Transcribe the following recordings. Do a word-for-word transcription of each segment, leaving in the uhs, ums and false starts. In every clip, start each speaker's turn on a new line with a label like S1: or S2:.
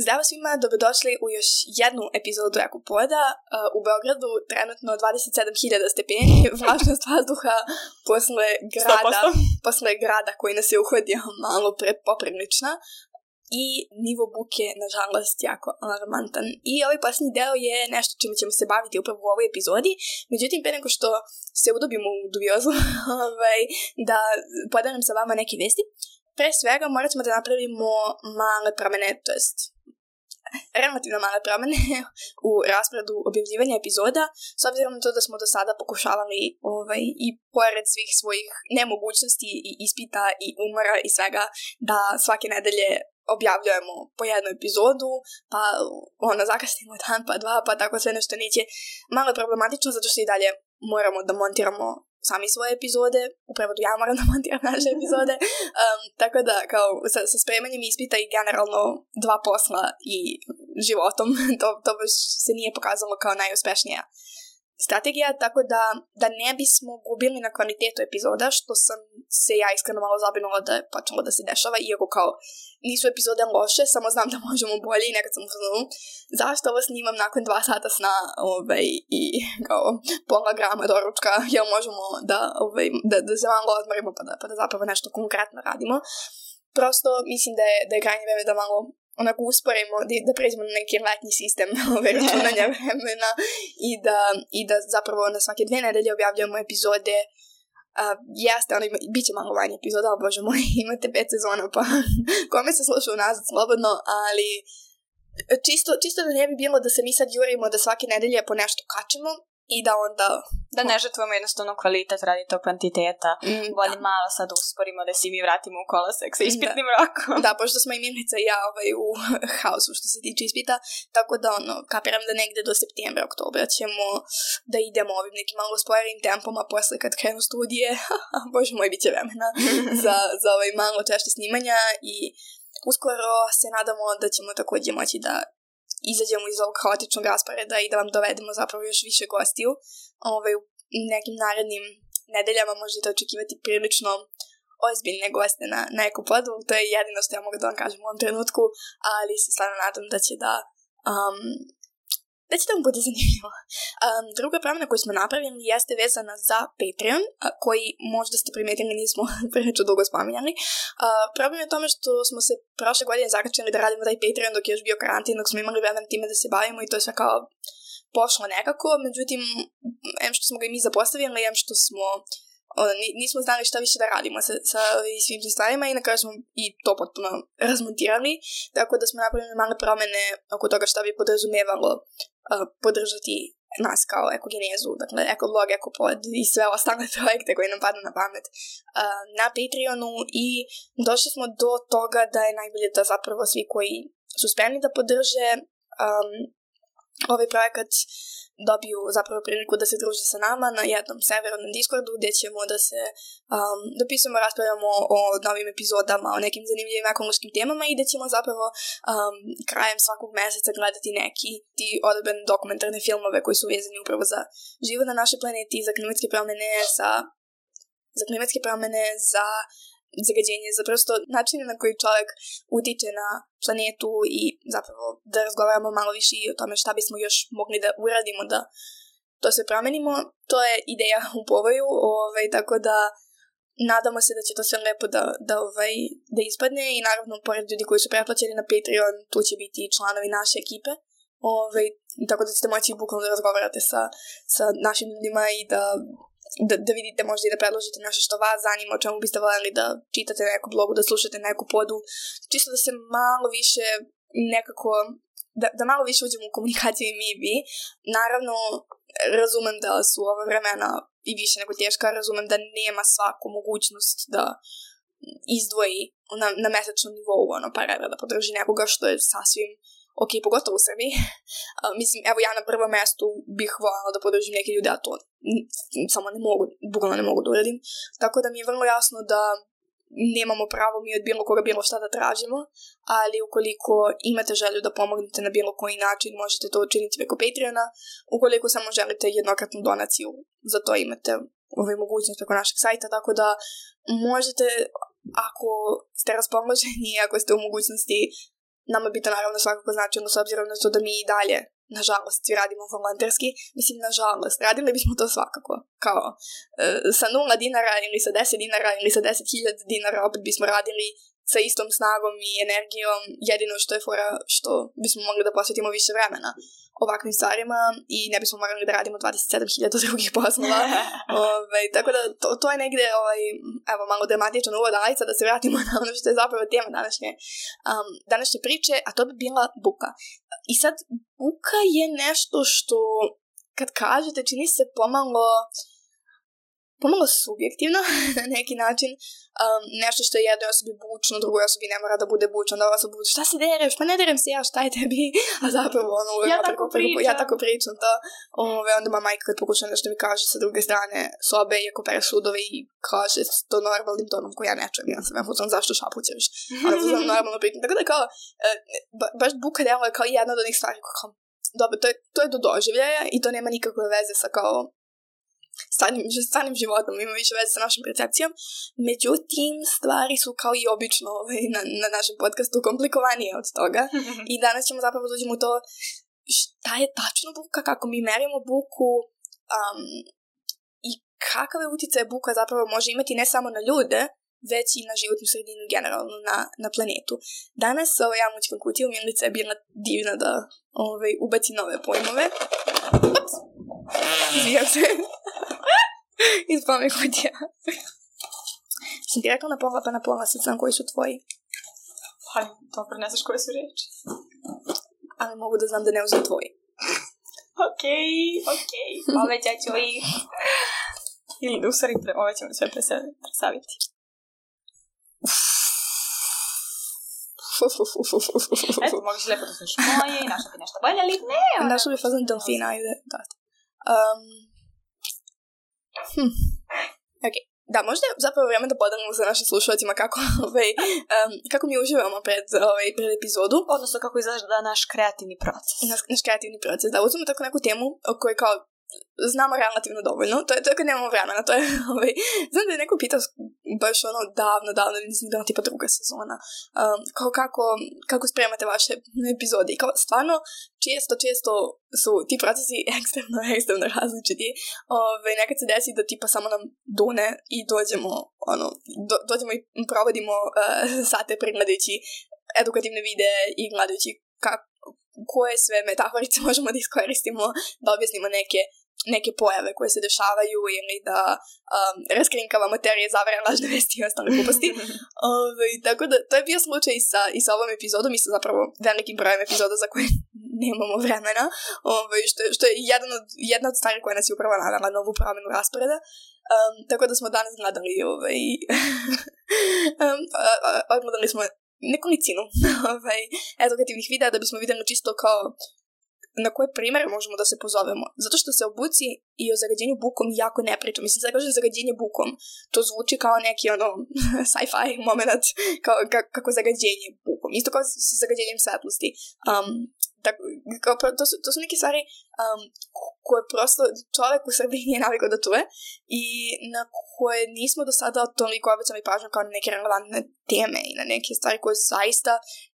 S1: Zdravo svima, dobrodošli u još jednu epizodu Ekopoda. U Beogradu trenutno dvadeset sedam hiljada stepeni, vlažnost vazduha posle grada, posle grada koji nas je uhodio malo prepoprilična i nivo buke, nažalost, jako alarmantan. I ovaj posljednji deo je nešto čime ćemo se baviti upravo u ovoj epizodi. Međutim, pre nego što se udubimo u dubiozu, ovaj, da podelim sa vama neke vesti. Pre svega morat ćemo da napravimo male promene, to jest relativno male promene u rasporedu objavljivanja epizoda, s obzirom na to da smo do sada pokušavali ovaj, i pored svih svojih nemogućnosti i ispita i umora i svega da svake nedelje objavljujemo po jednu epizodu, pa ono, zakasnimo dan, pa dva, pa tako sve nešto neće. Malo je problematično zato što i dalje moramo da montiramo sami svoje epizode, u prevodu ja moram da montiram naše epizode, um, tako da kao sa, sa spremanjem ispita i generalno dva posla i životom, to, to baš se nije pokazalo kao najuspešnija strategija, tako da, da ne bismo gubili na kvalitetu epizoda, što sam se ja iskreno malo zabrinula da je počelo da se dešava, iako kao nisu epizode loše, samo znam da možemo bolje i nekad sam uzmano, zašto ovo snimam nakon dva sata sna ovaj, i kao pola grama doručka, jel možemo da, ovaj, da, da se malo odmorimo pa da, pa da zapravo nešto konkretno radimo. Prosto mislim da je, da je krajnje vreme da malo onako usporimo, da, da pređemo na neki letnji sistem ove računanja vremena i da, i da zapravo na svake dve nedelje objavljamo epizode. Uh, jeste, ono, bit će malo vanje epizoda, ali bože moj, imate pet sezona, pa kome se sluša unazad slobodno, ali čisto, čisto da ne bi bilo da se mi sad jurimo da svake nedelje po nešto kačimo i da onda...
S2: Da ne žrtvamo jednostavno kvalitet radi tog kvantiteta. Mm, Volim da. malo sad usporimo da si mi vratimo u kolosek sa ispitnim da. rokom.
S1: Da, pošto smo i Milica i ja ovaj, u haosu što se tiče ispita, tako da ono, kapiram da negde do septembra, oktobra ćemo da idemo ovim nekim malo spojerim tempom, a posle kad krenu studije, bože moj, bit će vremena za, za ovaj malo češće snimanja i uskoro se nadamo da ćemo također moći da izađemo iz ovog haotičnog rasporeda i da vam dovedemo zapravo još više gostiju. Ovaj, u nekim narednim nedeljama možete očekivati prilično ozbiljne goste na, na Ekopodu. To je jedino što ja mogu da vam kažem u ovom trenutku, ali se stvarno nadam da će da... Um, da će da vam bude zanimljivo. Um, druga promjena koju smo napravili jeste vezana za Patreon, a, koji možda ste primetili nismo prilično dugo spominjali. Uh, problem je u tome što smo se prošle godine zakačili da radimo taj Patreon dok je još bio karantin, dok smo imali vremen time da se bavimo i to je sve kao pošlo nekako. Međutim, em što smo ga i mi zapostavili, em što smo ono, nismo znali šta više da radimo sa, sa svim tim stvarima i na kraju smo i to potpuno razmontirali, tako da smo napravili male promene oko toga šta bi podrazumevalo uh, podržati nas kao ekogenezu, dakle ekoblog, ekopod i sve ostale projekte koje nam padnu na pamet uh, na Patreonu i došli smo do toga da je najbolje da zapravo svi koji su spremni da podrže um, ovaj projekat dobiju zapravo priliku da se druže sa nama na jednom serveru na Discordu gdje ćemo da se um, dopisujemo, raspravljamo o novim epizodama, o nekim zanimljivim ekološkim temama i da ćemo zapravo um, krajem svakog meseca gledati neki ti odabrane dokumentarne filmove koji su vezani upravo za život na našoj planeti, za klimatske promjene, za, za klimatske promjene, za zagađenje, za prosto načine na koji čovjek utiče na planetu i zapravo da razgovaramo malo više i o tome šta bismo još mogli da uradimo da to sve promenimo. To je ideja u povoju, ovaj, tako da nadamo se da će to sve lepo da, da, ovaj, da ispadne i naravno pored ljudi koji su pretplaćeni na Patreon tu će biti i članovi naše ekipe, ovaj, tako da ćete moći bukvalno da razgovarate sa, sa našim ljudima i da Da, da vidite možda i da predložite nešto što vas zanima, o čemu biste voljeli da čitate na neku blogu, da slušate na neku podu, čisto da se malo više nekako, da, da malo više uđemo u komunikaciju i mi i vi. Naravno, razumem da su ova vremena i više nego teška, razumem da nema svaku mogućnost da izdvoji na, na mesečnom nivou ono, par evra da podrži nekoga, što je sasvim ok, pogotovo u Srbiji. Uh, mislim, evo ja na prvom mjestu bih voljela da podržim neke ljude, a to samo ne mogu, bukvalno ne mogu da uradim. Tako da mi je vrlo jasno da nemamo pravo mi od bilo koga bilo šta da tražimo, ali ukoliko imate želju da pomognete na bilo koji način, možete to učiniti preko Patreona. Ukoliko samo želite jednokratnu donaciju, za to imate ovaj mogućnost preko našeg sajta, tako da možete, ako ste raspoloženi, ako ste u mogućnosti nama bi to naravno svakako značilo s obzirom na to da mi i dalje, nažalost, svi radimo volonterski. Mislim, nažalost, radili bismo to svakako. Kao uh, sa nula dinara ili sa deset dinara ili sa deset hiljada dinara opet bismo radili sa istom snagom i energijom. Jedino što je fora što bismo mogli da posvetimo više vremena ovakvim stvarima i ne bismo morali da radimo dvadeset sedam hiljada drugih poslova. Ove, tako da to, to je negde ovaj, evo, malo dramatičan uvod, ali sad da se vratimo na ono što je zapravo tema današnje, um, današnje priče, a to bi bila buka. I sad, buka je nešto što, kad kažete, čini se pomalo pomalo subjektivno na neki način. Um, nešto što je jednoj osobi bučno, drugoj osobi ne mora da bude bučno, da osoba bude, šta se dereš, pa ne derem se ja, šta je tebi, a zapravo ono,
S2: ja, tako
S1: preko, ja tako pričam to, ove, onda ma majka kad pokuša nešto mi kaže sa druge strane sobe, iako pere sudove i kaže to normalnim tonom koji ja ne čujem, ja sam ja fuzam zašto šapućeš, ali fuzam normalno pričam, tako da kao, ba, baš buka delo je kao jedna od onih stvari, kao, dobro, to je, to je do doživljaja i to nema nikakve veze sa kao Stvarnim, stvarnim životom, ima više veze sa našom percepcijom. Međutim, stvari su kao i obično ovaj, na, na našem podcastu komplikovanije od toga. I danas ćemo zapravo dođemo u to šta je tačno buka, kako mi merimo buku um, i kakav je utjecaj buka zapravo može imati ne samo na ljude, već i na životnu sredinu generalno na, na planetu. Danas ovaj, ja mućkam kutiju, Milica je bila divna da ovaj, ubaci nove pojmove. Ups! Izvijam se. Ispala mi kutija. Sam ti rekla na pola, pa na pola sad znam koji su tvoji.
S2: Pa, dobro, ne znaš koje su reči.
S1: Ali mogu da znam da ne uzem tvoji.
S2: Okej, okay, okej. Okay. Povećat ću ih. Ili da u stvari pre, ove ćemo sve presaviti. Eto, mogu si lepo da slušaš moje i našla ti nešto bolje, ali ne.
S1: Našla bi fazan delfina, ajde. Um, hm. Ok. Da, možda je zapravo vreme da podelimo sa našim slušalcima kako, ovaj, um, kako mi uživamo pred, ovaj, pred epizodu.
S2: Odnosno kako izgleda naš kreativni proces.
S1: Naš, naš kreativni proces. Da, uzmemo tako neku temu o kojoj kao znamo relativno dovoljno. To je, to je kad nemamo vremena. To je, ovaj, znam da je neko pitao baš ono davno, davno, mislim da je tipa druga sezona. Um, kao kako, kako spremate vaše epizode. I kao stvarno, često, često su ti procesi ekstremno, ekstremno različiti. Ove, nekad se desi da tipa samo nam dune i dođemo, ono, do, dođemo i provodimo uh, sate pregledajući edukativne videe i gledajući kako koje sve metaforice možemo da iskoristimo da objasnimo neke, neke pojave koje se dešavaju ili da um, raskrinkavamo teorije zavere, lažne vesti i ostale gluposti. Ove, tako da to je bio slučaj i sa, i sa ovom epizodom i sa zapravo velikim brojem epizoda za koje nemamo vremena, ove, što, što je jedan od, jedna od stvari koja nas je upravo navela na ovu promenu rasporeda. Um, tako da smo danas gledali ovaj, um, odgledali smo nekolicinu ovaj, edukativnih videa da bismo videli čisto kao na koje primere možemo da se pozovemo. Zato što se o buci i o zagađenju bukom jako ne priča. Mislim, sad kažem zagađenje bukom. To zvuči kao neki ono sci-fi moment, kao, kako zagađenje bukom. Isto kao sa zagađenjem svetlosti. Um, tako, kao, to, su, to su neke stvari um, koje prosto čovek u Srbiji nije navikao da čuje i na koje nismo do sada toliko obacali pažnju kao na neke relevantne teme i na neke stvari koje zaista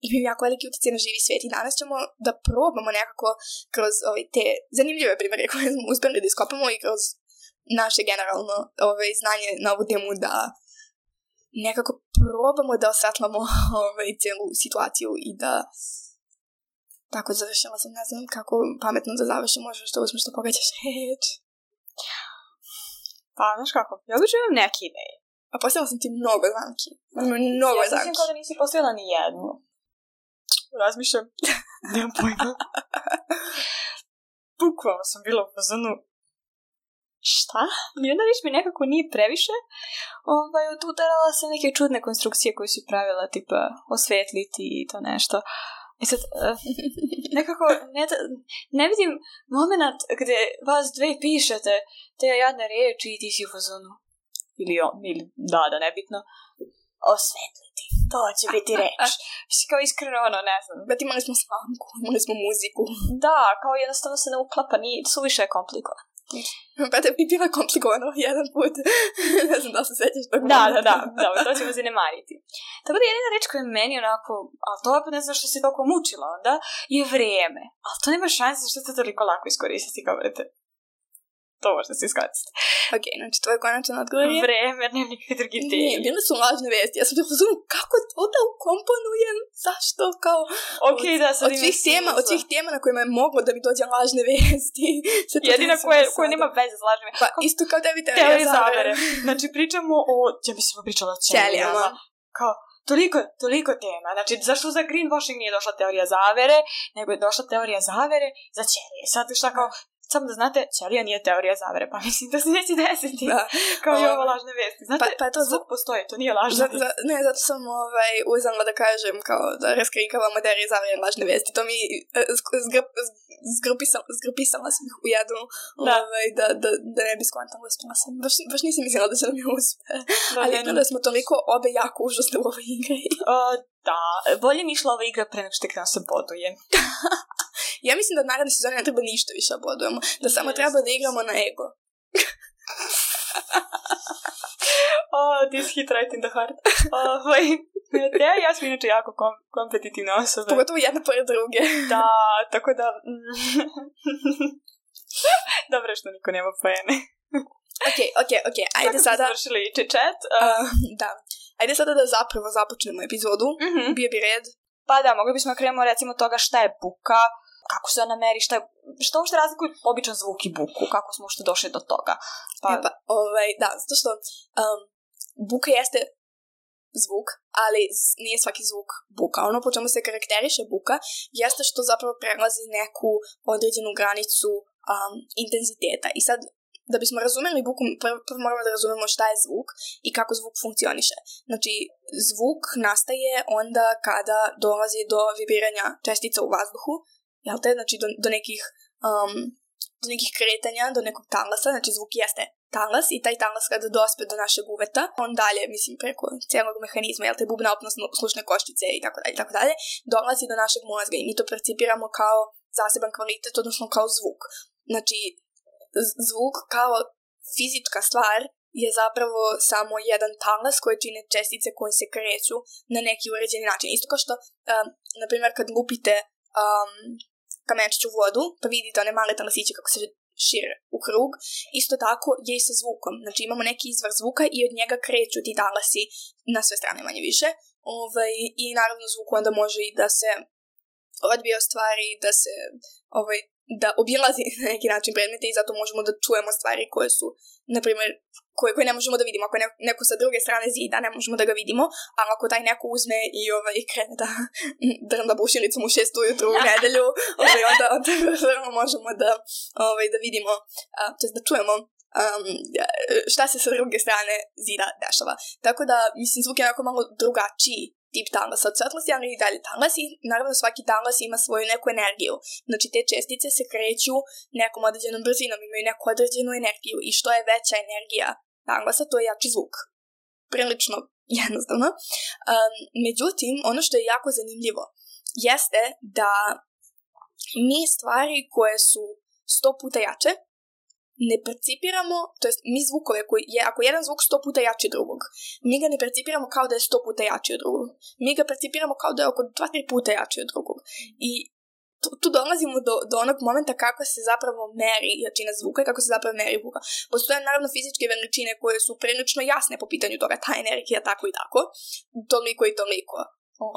S1: imaju jako veliki utjecaj na živi svijet. I danas ćemo da probamo nekako kroz ove, te zanimljive primjere koje smo uspjeli da iskopamo i kroz naše generalno ove, znanje na ovu temu da nekako probamo da osvetlamo ove, cijelu situaciju i da tako završila sam, ne znam kako pametno da završim, možeš što uzmeš da pogađaš reč.
S2: Pa, znaš kako, ja već imam neke ideje.
S1: A postavila sam ti mnogo zamki. Mnogo
S2: ja
S1: zamki. Ja
S2: sam kao da nisi postavila ni jednu. Razmišljam. Nemam pojma. Bukvalno sam bila u fazonu. Šta? Jedna riječ mi nekako nije previše. Ovaj, odudarala sam neke čudne konstrukcije koje su pravila, tipa osvetliti i to nešto. I sad, uh, nekako, ne, ne vidim moment gde vas dve pišete te jadne riječi i ti si u fazonu. Ili on, ili da, da, nebitno. Osvetliti. To će biti reč. Kao iskreno, ono, ne znam.
S1: Bet imali smo slamku, imali smo muziku.
S2: Da, kao jednostavno se ne uklapa, nije, suviše je komplikovan.
S1: Pa te bi bila komplikovano jedan put. Ne znam da se sećaš tog
S2: Da,
S1: momenta.
S2: da, da, dobro, to ćemo zanemariti. Tako da jedina reč koja je meni onako, ali to opet ne znam što se toliko mučila onda, je vrijeme. Ali to nema šanse što se toliko lako iskoristiti kao vrete. To možda se iskoristiti.
S1: Ok, znači tvoj konačan odgovor je...
S2: Vreme, jer nema nikakve drugi teme.
S1: Nije, bile su lažne vesti. Ja sam bilo uzmano, kako to da ukomponujem? Zašto? Kao...
S2: Ok, da, sad
S1: od svih tema, od svih tema na kojima je moglo da mi dođe lažne vesti.
S2: Jedina koja, koja nema veze s lažnim.
S1: Pa kao, isto kao tebi teorija,
S2: teorija
S1: zavere.
S2: zavere. Znači pričamo o, ja mi smo pričala o ćelijama. Kao, toliko, toliko tema. Znači, zašto za greenwashing nije došla teorija zavere, nego je došla teorija zavere za ćelije. Sad šta kao, samo da znate, ćelija nije teorija zavere, pa mislim da se neće desiti. Da. Kao i ovo lažne vesti. Znate, pa, pa to zvuk postoji, to nije lažna vesti.
S1: Za, ne, zato sam ovaj, uzela da kažem, kao da raskrinkavamo teorije zavere i lažne vesti. To mi zgrup, zgrupisala, zgrupisala sam ih u jednu, da. Ovaj, da, da, da ne bi skontala, uspjela sam. Baš, baš nisam mislila da će nam je uspe. Da, ali ne, da smo toliko obe jako užasne u ovoj igri.
S2: Uh, da, bolje mi išla ova igra pre nego što tek nam se boduje.
S1: Ja mislim da od naredne sezone ne treba ništa više bodujemo. Da samo yes. treba da igramo na ego.
S2: Oh, this hit right in the heart. Oh, ja, ja sam inače jako kom- kompetitivna osoba.
S1: Pogotovo jedna pored druge.
S2: Da, tako da... Dobro što niko nema pojene.
S1: Ok, ok, ok. Ajde
S2: kako
S1: sada...
S2: Kako smo završili čet? Uh...
S1: Uh, da. Ajde sada da zapravo započnemo epizodu.
S2: Mm-hmm.
S1: Bio bi red.
S2: Pa da, mogli bismo krenemo recimo toga šta je buka, kako se ona meri, šta je, šta uopšte razlikuje običan zvuk i buku, kako smo uopšte došli do toga.
S1: Pa, e pa ovaj, da, zato što um, buka jeste zvuk, ali nije svaki zvuk buka. Ono po čemu se karakteriše buka jeste što zapravo prelazi neku određenu granicu um, intenziteta. I sad, da bismo razumeli buku, prvo, prvo moramo da razumemo šta je zvuk i kako zvuk funkcioniše. Znači, zvuk nastaje onda kada dolazi do vibriranja čestica u vazduhu, jel te? Znači, do, do nekih um, do nekih kretanja, do nekog talasa, znači zvuk jeste talas i taj talas kada dospe do našeg uveta, on dalje, mislim, preko cijelog mehanizma, jel te, bubna opnosno-slušne koštice i tako dalje, tako dalje, dolazi do našeg mozga i mi to percipiramo kao zaseban kvalitet, odnosno kao zvuk. Znači, zvuk kao fizička stvar je zapravo samo jedan talas koje čine čestice koje se kreću na neki uređeni način. Isto kao što, um, na primjer, kad lupite um, kamenčić u vodu, pa vidite one male talasiće kako se šire u krug, isto tako je i sa zvukom. Znači imamo neki izvor zvuka i od njega kreću ti talasi na sve strane manje više. Ovaj, i naravno zvuk onda može i da se odbije od stvari, da se ovaj, da obilazi na neki način predmete i zato možemo da čujemo stvari koje su, na primjer, koje, koje ne možemo da vidimo. Ako je neko sa druge strane zida, ne možemo da ga vidimo, ali ako taj neko uzme i ovaj, krene da drnda bušinicom u šest ujutru u nedelju, ovaj, onda, onda možemo da, ovaj, da vidimo, a, to je da čujemo um, šta se sa druge strane zida dešava. Tako da, mislim, zvuk je onako malo drugačiji tip talasa od svetlosti, ali i dalje talas i naravno svaki talas ima svoju neku energiju. Znači te čestice se kreću nekom određenom brzinom, imaju neku određenu energiju i što je veća energija talasa, to je jači zvuk. Prilično jednostavno. Um, međutim, ono što je jako zanimljivo jeste da mi stvari koje su sto puta jače ne percipiramo, to jest mi zvukove koji je, ako jedan zvuk sto puta jači od drugog, mi ga ne percipiramo kao da je sto puta jači od drugog. Mi ga percipiramo kao da je oko dva tri puta jači od drugog. I tu, tu dolazimo do, do onog momenta kako se zapravo meri jačina zvuka i kako se zapravo meri buka. Postoje naravno fizičke veličine koje su prilično jasne po pitanju toga, ta energija tako i tako, toliko i toliko.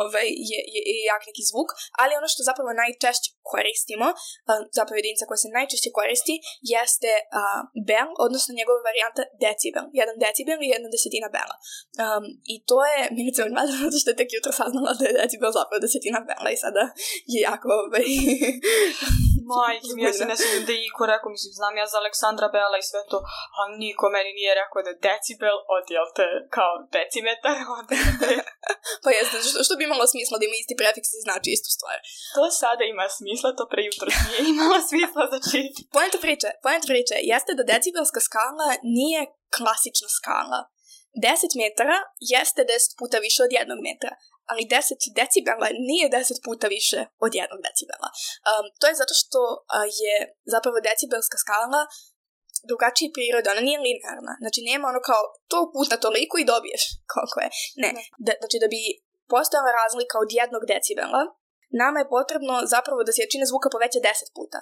S1: Ovaj, je, je, je jak neki zvuk, ali ono što zapravo najčešće koristimo, um, zapravo jedinica koja se najčešće koristi, jeste uh, bel, odnosno njegova varijanta decibel. Jedan decibel i jedna desetina bela. Um, I to je, Milica me gleda, zato što je tek jutro saznala da je decibel zapravo desetina bela i sada je jako... Ovaj,
S2: Majke mi, ja se ne sviđam da je iko rekao, mislim, znam ja za Aleksandra Bela i sve to, a niko meni nije rekao da je decibel od, jel te, kao decimetar, od, te...
S1: Pa jesno, što, što bi imalo smisla da ima isti prefiks i znači istu stvar.
S2: To sada ima smisla, to pre jutro nije imalo smisla, znači...
S1: Poenta priče, poenta priče, jeste da decibelska skala nije klasična skala. deset metara jeste deset puta više od jednog metra, ali deset decibela nije deset puta više od jednog decibela. Um, to je zato što uh, je zapravo decibelska skala drugačije prirode, ona nije linearna. Znači, nema ono kao to puta toliko i dobiješ koliko je. Ne, ne. Da, znači da bi postojala razlika od jednog decibela, nama je potrebno zapravo da se jačina zvuka poveća deset puta.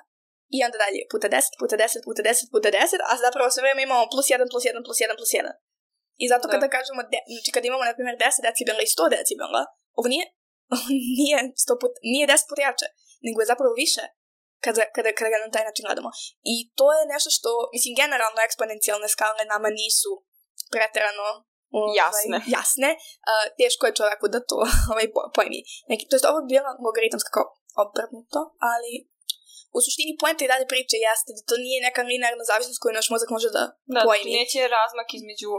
S1: I onda dalje, puta deset, puta deset, puta deset, puta deset, a zapravo sve vreme imamo plus jedan, plus jedan, plus jedan, plus jedan. I zato kada da. kažemo, de, znači kada imamo, na primjer, deset decibela i sto decibela, ovo nije, nije, sto put, nije deset puta jače, nego je zapravo više kada, kada, kada ga na taj način gledamo. I to je nešto što, mislim, generalno eksponencijalne skale nama nisu preterano ovaj,
S2: jasne.
S1: jasne. Uh, teško je čovjeku da to ovaj, pojmi. Neki, to je ovo bi bila logaritamska kao obrnuto, ali u suštini poenta i dalje priče jeste da to nije neka linearna zavisnost koju naš mozak može da, da pojmi.
S2: Da, neće razmak između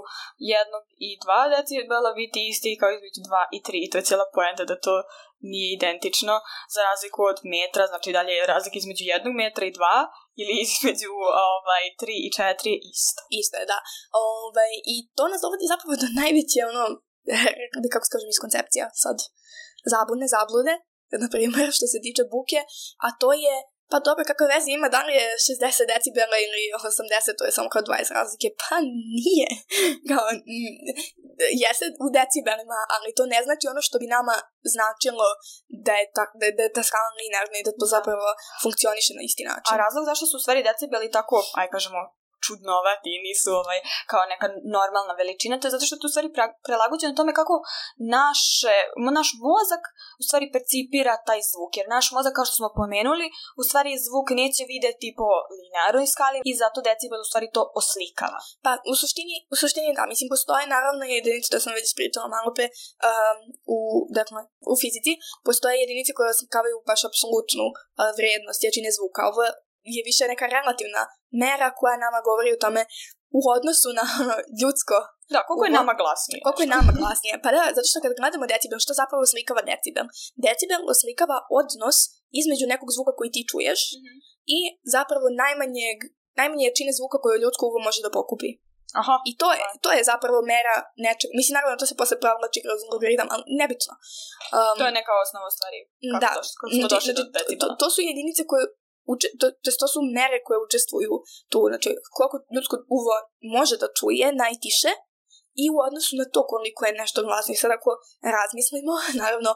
S2: jednog i dva decibela biti isti kao između dva i tri. To je cijela poenta da to nije identično za razliku od metra, znači dalje je razlika između jednog metra i dva ili između ovaj, tri i četiri isto.
S1: Isto je, da. Ovaj, I to nas dovodi zapravo do najveće, ono, kako se kažem iz koncepcija sad, zabune, zablude, na primjer, što se tiče buke, a to je pa dobro, kakve veze ima, da li je šezdeset decibela ili osamdeset, to je samo kao dvadeset razlike, pa nije. Kao, jeste u decibelima, ali to ne znači ono što bi nama značilo da je ta, da, da je ta skala linearna i da to zapravo funkcioniše na isti način.
S2: A razlog zašto su u stvari decibeli tako, aj kažemo, čudnovati i nisu ovaj, kao neka normalna veličina, to je zato što je tu stvari prelagođeno tome kako naše, naš mozak u stvari percipira taj zvuk, jer naš mozak, kao što smo pomenuli, u stvari zvuk neće videti po linearnoj skali i zato decibel u stvari to oslikava.
S1: Pa u suštini, u suštini da, mislim, postoje naravno jedinice, to sam već pričala malo pe, um, u, dakle, u fizici, postoje jedinice koje oslikavaju baš apsolutnu uh, vrijednost jačine zvuka. Ovo je više neka relativna mera koja nama govori o tome u odnosu na ljudsko.
S2: Da, koliko je nama glasnije.
S1: Koliko je nama glasnije. Pa da, zato što kad gledamo decibel, što zapravo oslikava decibel? Decibel oslikava odnos između nekog zvuka koji ti čuješ mm-hmm. i zapravo najmanjeg, najmanje jačine zvuka koju ljudsko uvo može da pokupi.
S2: Aha.
S1: I to je, to je zapravo mera nečeg. Mislim, naravno, to se posle provlači kroz algoritam, ali nebitno. Um,
S2: to je neka osnova stvari. Kako
S1: da,
S2: to, kako smo došli do decibela.
S1: To, to su jedinice koje Uče, to, to su mere koje učestvuju tu, znači koliko ljudsko uvo može da čuje najtiše i u odnosu na to koliko je nešto glasno. I sad ako razmislimo, naravno,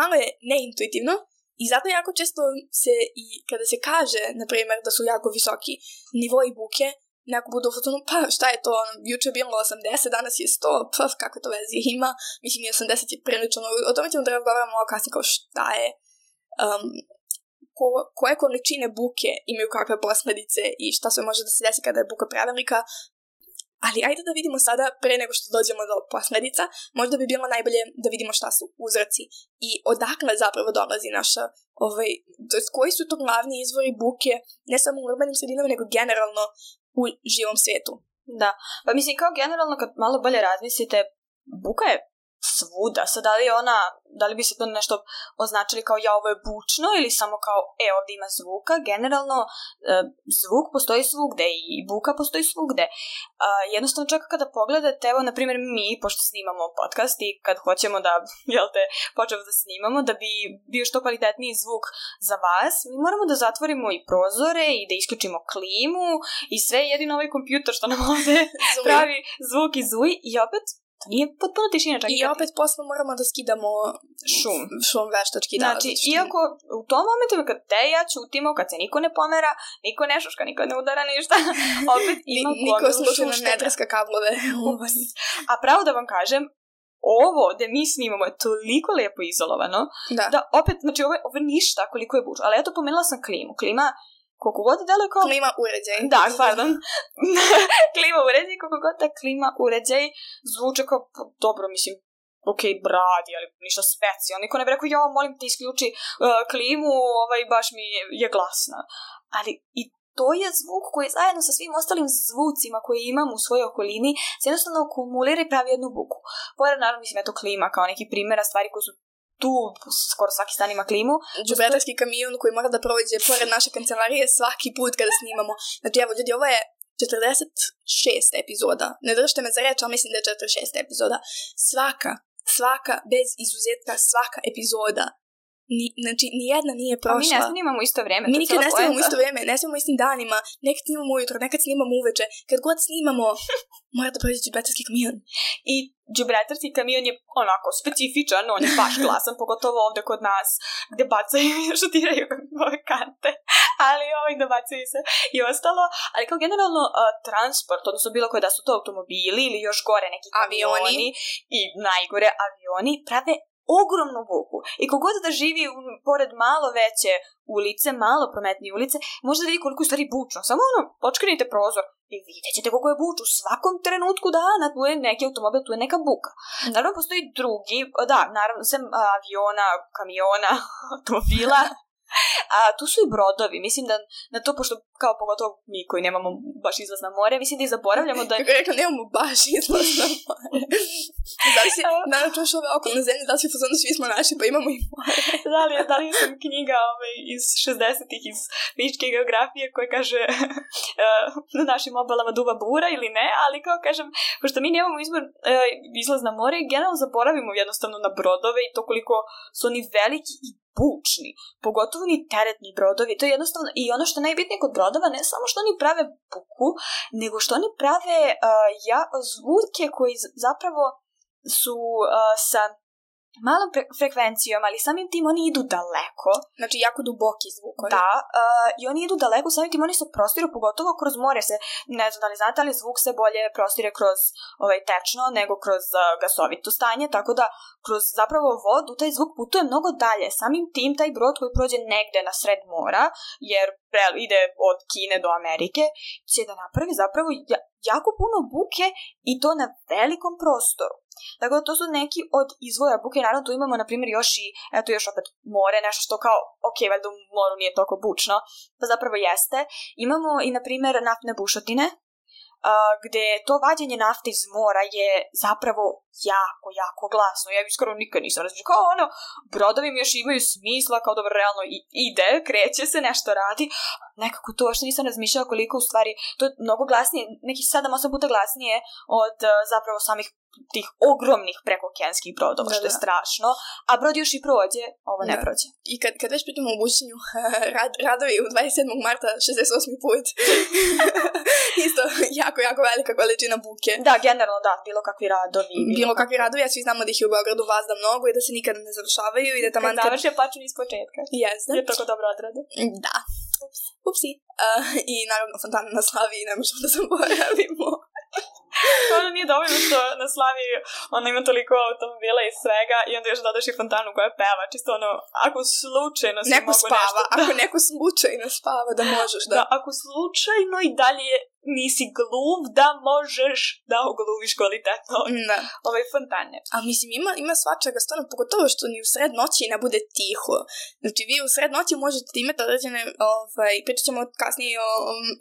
S1: malo je neintuitivno i zato jako često se i kada se kaže, na primjer, da su jako visoki nivoi buke, neko budu u fotonu, pa šta je to, juče je bilo osamdeset, danas je sto, pa kako to vezi ima, mislim i osamdeset je prilično, o tome ćemo da razgovaramo malo kasnije kao šta je um, Ko, koje količine buke imaju kakve posljedice i šta sve može da se desi kada je buka prevelika. Ali ajde da vidimo sada, pre nego što dođemo do posljedica, možda bi bilo najbolje da vidimo šta su uzroci i odakle zapravo dolazi naša, ovaj, koji su to glavni izvori buke, ne samo u urbanim sredinama, nego generalno u živom svijetu.
S2: Da, pa mislim kao generalno kad malo bolje razmislite, buka je svuda. Sad, da li je ona, da li bi se to nešto označili kao ja ovo je bučno ili samo kao e ovdje ima zvuka? Generalno e, zvuk postoji svugde i buka postoji svugde. E, jednostavno čak kada pogledate, evo na primjer mi, pošto snimamo podcast i kad hoćemo da, jel te, počemo da snimamo, da bi bio što kvalitetniji zvuk za vas, mi moramo da zatvorimo i prozore i da isključimo klimu i sve, jedino ovaj kompjuter što nam ovdje pravi zvuk i zuj i opet to nije potpuno tišina čak.
S1: I opet posle moramo da skidamo
S2: šum.
S1: Šum veštački.
S2: Znači,
S1: da,
S2: iako u tom momentu kad te ja čutimo, kad se niko ne pomera, niko ne šuška, niko ne udara ništa, opet ima
S1: gomilu niko slučajno ne treska kablove.
S2: A pravo da vam kažem, ovo da mi snimamo je toliko lijepo izolovano, da, da opet, znači ovo je, ovo je ništa koliko je bučno. Ali eto, pomenula sam klimu. Klima koliko god deluje kao...
S1: Klima uređaj.
S2: Da, pardon. Klima uređaj, koliko god da klima uređaj zvuče kao, dobro, mislim, ok, bradi, ali ništa specijalno. Niko ne bi rekao, ja, molim te isključi uh, klimu, ovaj, baš mi je, je glasna. Ali i to je zvuk koji zajedno sa svim ostalim zvucima koje imam u svojoj okolini se jednostavno akumulira i pravi jednu buku. Pored, naravno, mislim, eto klima kao neki primjera stvari koji su tu skoro svaki stan ima klimu.
S1: Džubretarski kamion koji mora da prođe pored naše kancelarije svaki put kada snimamo. Znači, evo, ljudi, ovo je četrdeset šest epizoda. Ne držite me za reč, ali mislim da je četrdeset šest epizoda. Svaka, svaka, bez izuzetka, svaka epizoda ni, znači, nijedna nije prošla.
S2: A mi ne snimamo isto vreme.
S1: Mi nikad ne snimamo isto vreme, ne snimamo istim danima, nekad snimamo ujutro, nekad snimamo uveče. Kad god snimamo, mora da prođe džubretarski kamion.
S2: I džubretarski kamion je onako specifičan, on je baš glasan, pogotovo ovde kod nas, gde bacaju i šutiraju ove kante, ali ovaj dobacaju se i ostalo. Ali kao generalno uh, transport, odnosno bilo koje da su to automobili ili još gore neki kamioni avioni. I najgore avioni, prave ogromnu buku. I kogod da živi u, pored malo veće ulice, malo prometnije ulice, može da vidi koliko je stvari bučno. Samo ono, očkrenite prozor i vidjet ćete koliko je bučno. U svakom trenutku dana tu je neki automobil, tu je neka buka. Naravno, postoji drugi, da, naravno, sem aviona, kamiona, automobila, a tu su i brodovi. Mislim da na to, pošto kao pogotovo mi koji nemamo baš izlaz na more, mislim da i zaboravljamo da...
S1: Kako je rekla, nemamo baš izlaz na more. Da li si, naravno čuš ove okolne zemlje, da li si fazonu, svi smo naši, pa imamo i more.
S2: Da li, da li sam knjiga ove, iz šezdesetih iz fizičke geografije koja kaže uh, na našim obalama duva bura ili ne, ali kao kažem, pošto mi nemamo izbor, uh, izlaz na more, generalno zaboravimo jednostavno na brodove i to koliko su oni veliki i bučni, pogotovo ni teretni brodovi. To je jednostavno, i ono što je najbitnije kod brodova, ne samo što oni prave buku, nego što oni prave uh, ja, zvuke koji zapravo su uh, sa malom pre- frekvencijom, ali samim tim oni idu daleko.
S1: Znači jako duboki zvuk.
S2: Da, uh, i oni idu daleko, samim tim oni se prostiru, pogotovo kroz more se, ne znam da li znate, ali zvuk se bolje prostire kroz ovaj, tečno nego kroz uh, gasovito stanje, tako da kroz zapravo vodu taj zvuk putuje mnogo dalje. Samim tim taj brod koji prođe negde na sred mora, jer pre, ide od Kine do Amerike, će da napravi zapravo ja, jako puno buke i to na velikom prostoru. Tako da to su neki od izvora buke. Naravno tu imamo na primjer još i eto još opet more, nešto što kao ok, valjda u moru nije toliko bučno, pa zapravo jeste. Imamo i na primjer naftne bušotine, Uh, gde to vađenje nafte iz mora je zapravo jako, jako glasno. Ja skoro nikad nisam razmišljala. Kao ono, brodovi mi još imaju smisla, kao dobro, realno i, ide, kreće se, nešto radi. Nekako to što nisam razmišljala koliko u stvari, to je mnogo glasnije, nekih sedam osam puta glasnije od uh, zapravo samih tih ogromnih prekookeanskih brodova, da, što je da. strašno. A brod još i prođe, ovo ne da. prođe.
S1: I kad, kad već pitamo o bušenju, rad, radovi u dvadeset sedmog marta šezdeset osmi put. Isto, jako, jako velika količina buke.
S2: Da, generalno da, bilo kakvi radovi.
S1: Bilo, bilo kakvi radovi, ja svi znamo da ih je u Beogradu vazda mnogo i da se nikada ne završavaju. I da taman
S2: kad završe počinu iz početka.
S1: Jeste.
S2: Je tako dobro odrade.
S1: Da. Ups. Upsi. Uh, I naravno fontana na Slaviji, ne možemo da zaboravimo.
S2: Ono nije dovoljno što na Slaviji ona ima toliko automobila i svega i onda još dodaš i fontanu koja peva, čisto ono, ako slučajno si
S1: neko
S2: mogu
S1: spava,
S2: nešto...
S1: ako neko slučajno spava da možeš da...
S2: Da, ako slučajno i dalje nisi gluv, da možeš da ogluviš kvalitetno ove fontane.
S1: A mislim, ima, ima svačega stvarno, pogotovo što ni u sred noći ne bude tiho. Znači, vi u sred noći možete da imate određene, ovaj, pričat ćemo kasnije o,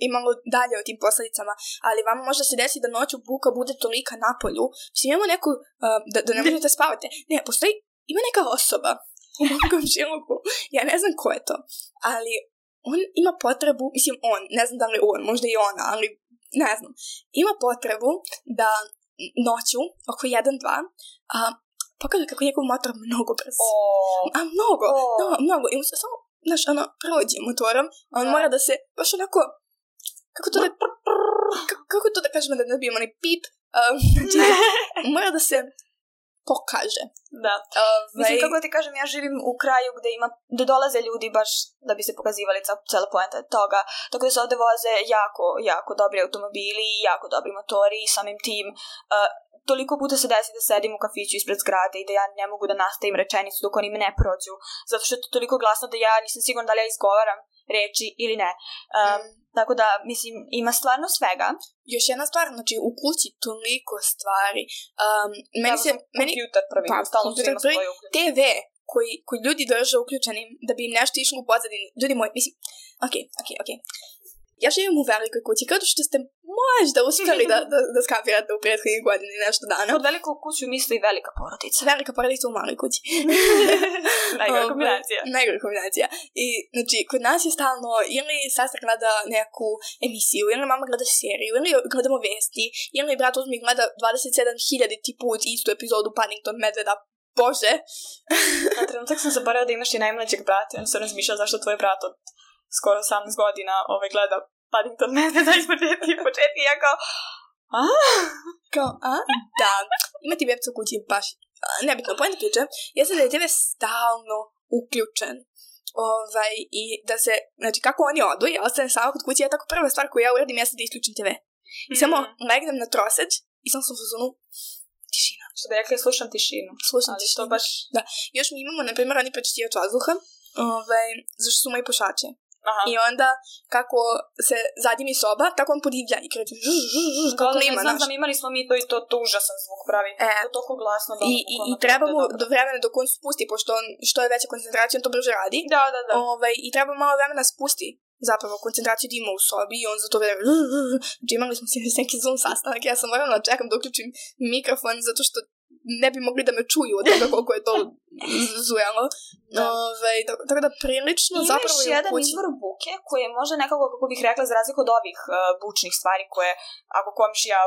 S1: i malo dalje o tim posledicama, ali vam može se desiti da noću buka bude tolika na polju. Mislim, imamo neku, uh, da, da ne možete spavati. Ne, postoji, ima neka osoba u mom komšiluku, ja ne znam ko je to, ali on ima potrebu, mislim on, ne znam da li on, možda i ona, ali ne znam, ima potrebu da noću, oko jedan dva, a, pokaže kako njegov motor mnogo brz.
S2: Oh.
S1: A mnogo,
S2: oh.
S1: no, mnogo. I mu se samo, znaš, ono, prođe motorom, a on da. mora da se, baš onako, kako to da, kako, kako to da kažemo da ne dobijemo onaj pip, um, znači, mora da se pokaže.
S2: Da.
S1: Uh,
S2: Mislim, kako ti kažem, ja živim u kraju gde ima, gde dolaze ljudi baš da bi se pokazivali cela poenta toga, tako da se ovde voze jako, jako dobri automobili, jako dobri motori i samim tim uh, toliko puta se desi da sedim u kafiću ispred zgrade i da ja ne mogu da nastavim rečenicu dok oni me ne prođu, zato što je to toliko glasno da ja nisam sigurna da li ja izgovaram reči ili ne. Um, mm. Tako da, mislim, ima stvarno svega.
S1: Još jedna stvar, znači, u kući toliko stvari. Um, meni
S2: ja,
S1: se... Meni,
S2: kompjuter prvi, pa, stalno su ima svoje uključenje.
S1: T V koji, koji ljudi drže uključenim da bi im nešto išlo u pozadini. Ljudi moji, mislim, okej, okay, okej, okay, okej. Okay. Ja živim u velikoj kući, kao što ste možda uspeli da, da, da skapirate u prethodnih godini nešto dana.
S2: Od veliku kuću misli i velika porodica.
S1: Velika porodica u maloj kući.
S2: Najgora kombinacija.
S1: Najgora kombinacija. I, znači, kod nas je stalno, ili sestra gleda neku emisiju, ili mama gleda seriju, ili gledamo vesti, ili brat uzmi gleda dvadeset sedam hiljaditi put istu epizodu Paddington Medveda Bože.
S2: Na trenutak sam zaboravila da imaš i najmlađeg brata. Ja sam razmišljala zašto tvoj brat od skoro osamnaest godina ovaj, gleda Paddington Medveda iz početka i početka i ja kao a?
S1: Kao, a? Da. Ima ti webca u kući baš. Nebitno, pojena priče. Jeste da je tebe stalno uključen. Ovaj, i da se, znači kako oni odu, ja ostanem sama kod kuće, ja tako prva stvar koju ja uradim jeste da isključim te ve. I mm-hmm. samo legnem na troseć i sam sam u fazonu tišina.
S2: Što da rekli, slušam tišinu.
S1: Slušam
S2: ali
S1: tišinu.
S2: To baš...
S1: Da. Još mi imamo, na primjer, oni prečistivač vazduha, ovaj, zašto su moji pušači.
S2: Aha.
S1: I onda, kako se zadimi soba, tako on podivlja i kreće žuž, žuž, žuž, kako
S2: da,
S1: nema,
S2: znam, znam, imali smo mi to i to, to užasan zvuk pravi.
S1: E,
S2: to toliko glasno. Da,
S1: I, i, i treba mu do vremena dok on spusti, pošto on, što je veća koncentracija, on to brže radi.
S2: Da, da, da.
S1: Ovaj, I treba malo vremena spusti zapravo koncentraciju da ima u sobi i on za to vreme znači imali smo si neki Zoom sastanak, ja sam morala da čekam da uključim mikrofon zato što ne bi mogli da me čuju od toga koliko je to zujalo. Da. Ove, tako da prilično
S2: imaš
S1: zapravo je
S2: jedan izvor buke koji je možda nekako, kako bih rekla, za razliku od ovih uh, bučnih stvari koje, ako komšija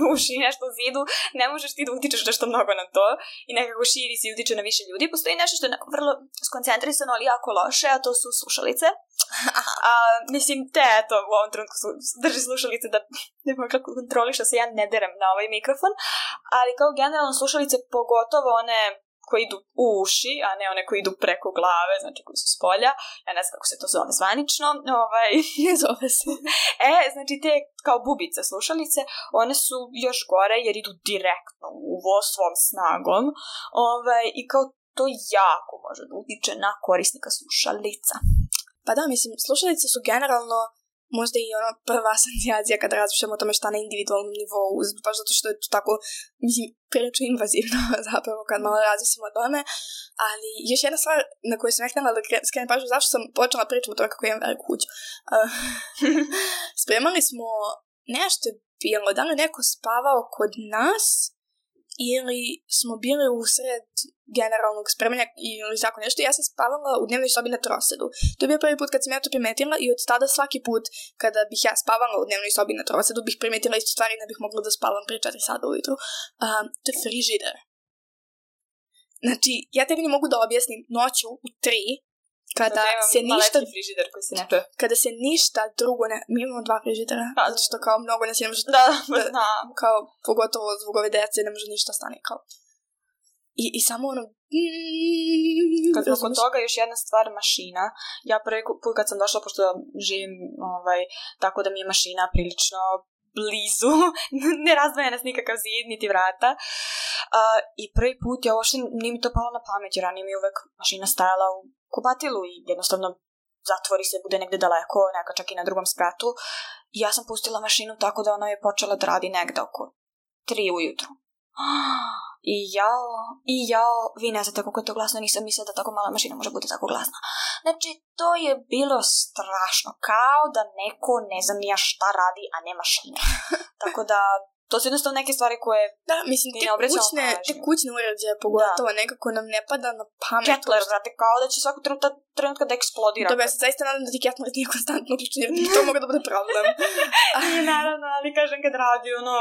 S2: buši nešto u zidu, ne možeš ti da utičeš nešto mnogo na to i nekako širi si i utiče na više ljudi. Postoji nešto što je vrlo skoncentrisano, ali jako loše, a to su slušalice. A, mislim, te, eto, u ovom trenutku su, drži slušalice da ne mogu kako kontroliš, da se ja ne derem na ovaj mikrofon, ali kao generalno slušalice, pogotovo one koji idu u uši, a ne one koji idu preko glave, znači koji su s polja, ja ne znam kako se to zove zvanično, ovaj,
S1: ne zove se.
S2: E, znači te kao bubice slušalice, one su još gore jer idu direktno u uvo svom snagom, ovaj, i kao to jako može da utiče na korisnika slušalica.
S1: Pa da, mislim, slušalice su generalno možda i ono prva asocijacija kada razmišljamo o tome šta na individualnom nivou, baš zato što je to tako, mislim, prilično invazivno zapravo kad malo razmislimo o tome, ali još jedna stvar na koju sam htjela da skrenem pažnju, zašto sam počela pričati o tome kako imam veliku kuću. Uh, spremali smo nešto bilo, da li neko spavao kod nas ili smo bili usred generalnog spremanja ili tako nešto. Ja sam spavala u dnevnoj sobi na trosedu. To je bio prvi put kad sam ja to primetila i od tada svaki put kada bih ja spavala u dnevnoj sobi na trosedu bih primetila isto stvari i ne bih mogla da spavam pre četiri sata ujutru. Um, to je frižider. Znači, ja tebi ne mogu da objasnim noću u tri kada se ništa
S2: frižider koji se ne čuje.
S1: Kada se ništa drugo ne... Mi imamo dva frižidera, pa, zato što kao mnogo nas ne može...
S2: Da, da, da.
S1: Kao, pogotovo zbog ove dece ne može ništa stane, kao... I, i samo ono...
S2: Kad smo kod toga, još jedna stvar, mašina. Ja prvi put kad sam došla, pošto živim ovaj, tako da mi je mašina prilično blizu, ne razdvaja nas nikakav zid, niti vrata. Uh, I prvi put, ja uopšte nije mi to palo na pamet, jer ranije mi je uvek mašina stajala u kupatilu i jednostavno zatvori se, bude negde daleko, neka čak i na drugom spratu. I ja sam pustila mašinu tako da ona je počela da radi negde oko tri ujutru. I jao, i jao, vi ne znate kako je to glasno, nisam mislila da tako mala mašina može biti tako glasna. Znači, to je bilo strašno, kao da neko ne znam nija šta radi, a ne mašina. Tako da, to su jednostavno neke stvari koje...
S1: Da, mislim, te kućne, te kućne uređaje, pogotovo, da. Nekako nam ne pada na pamet.
S2: Kettler, znate, kao da će svakog trenutka, trenutka da eksplodira.
S1: Dobro, ja se zaista nadam da ti Kettler nije konstantno uključen, jer to mogu da bude problem.
S2: I naravno, ali kažem kad radi, ono,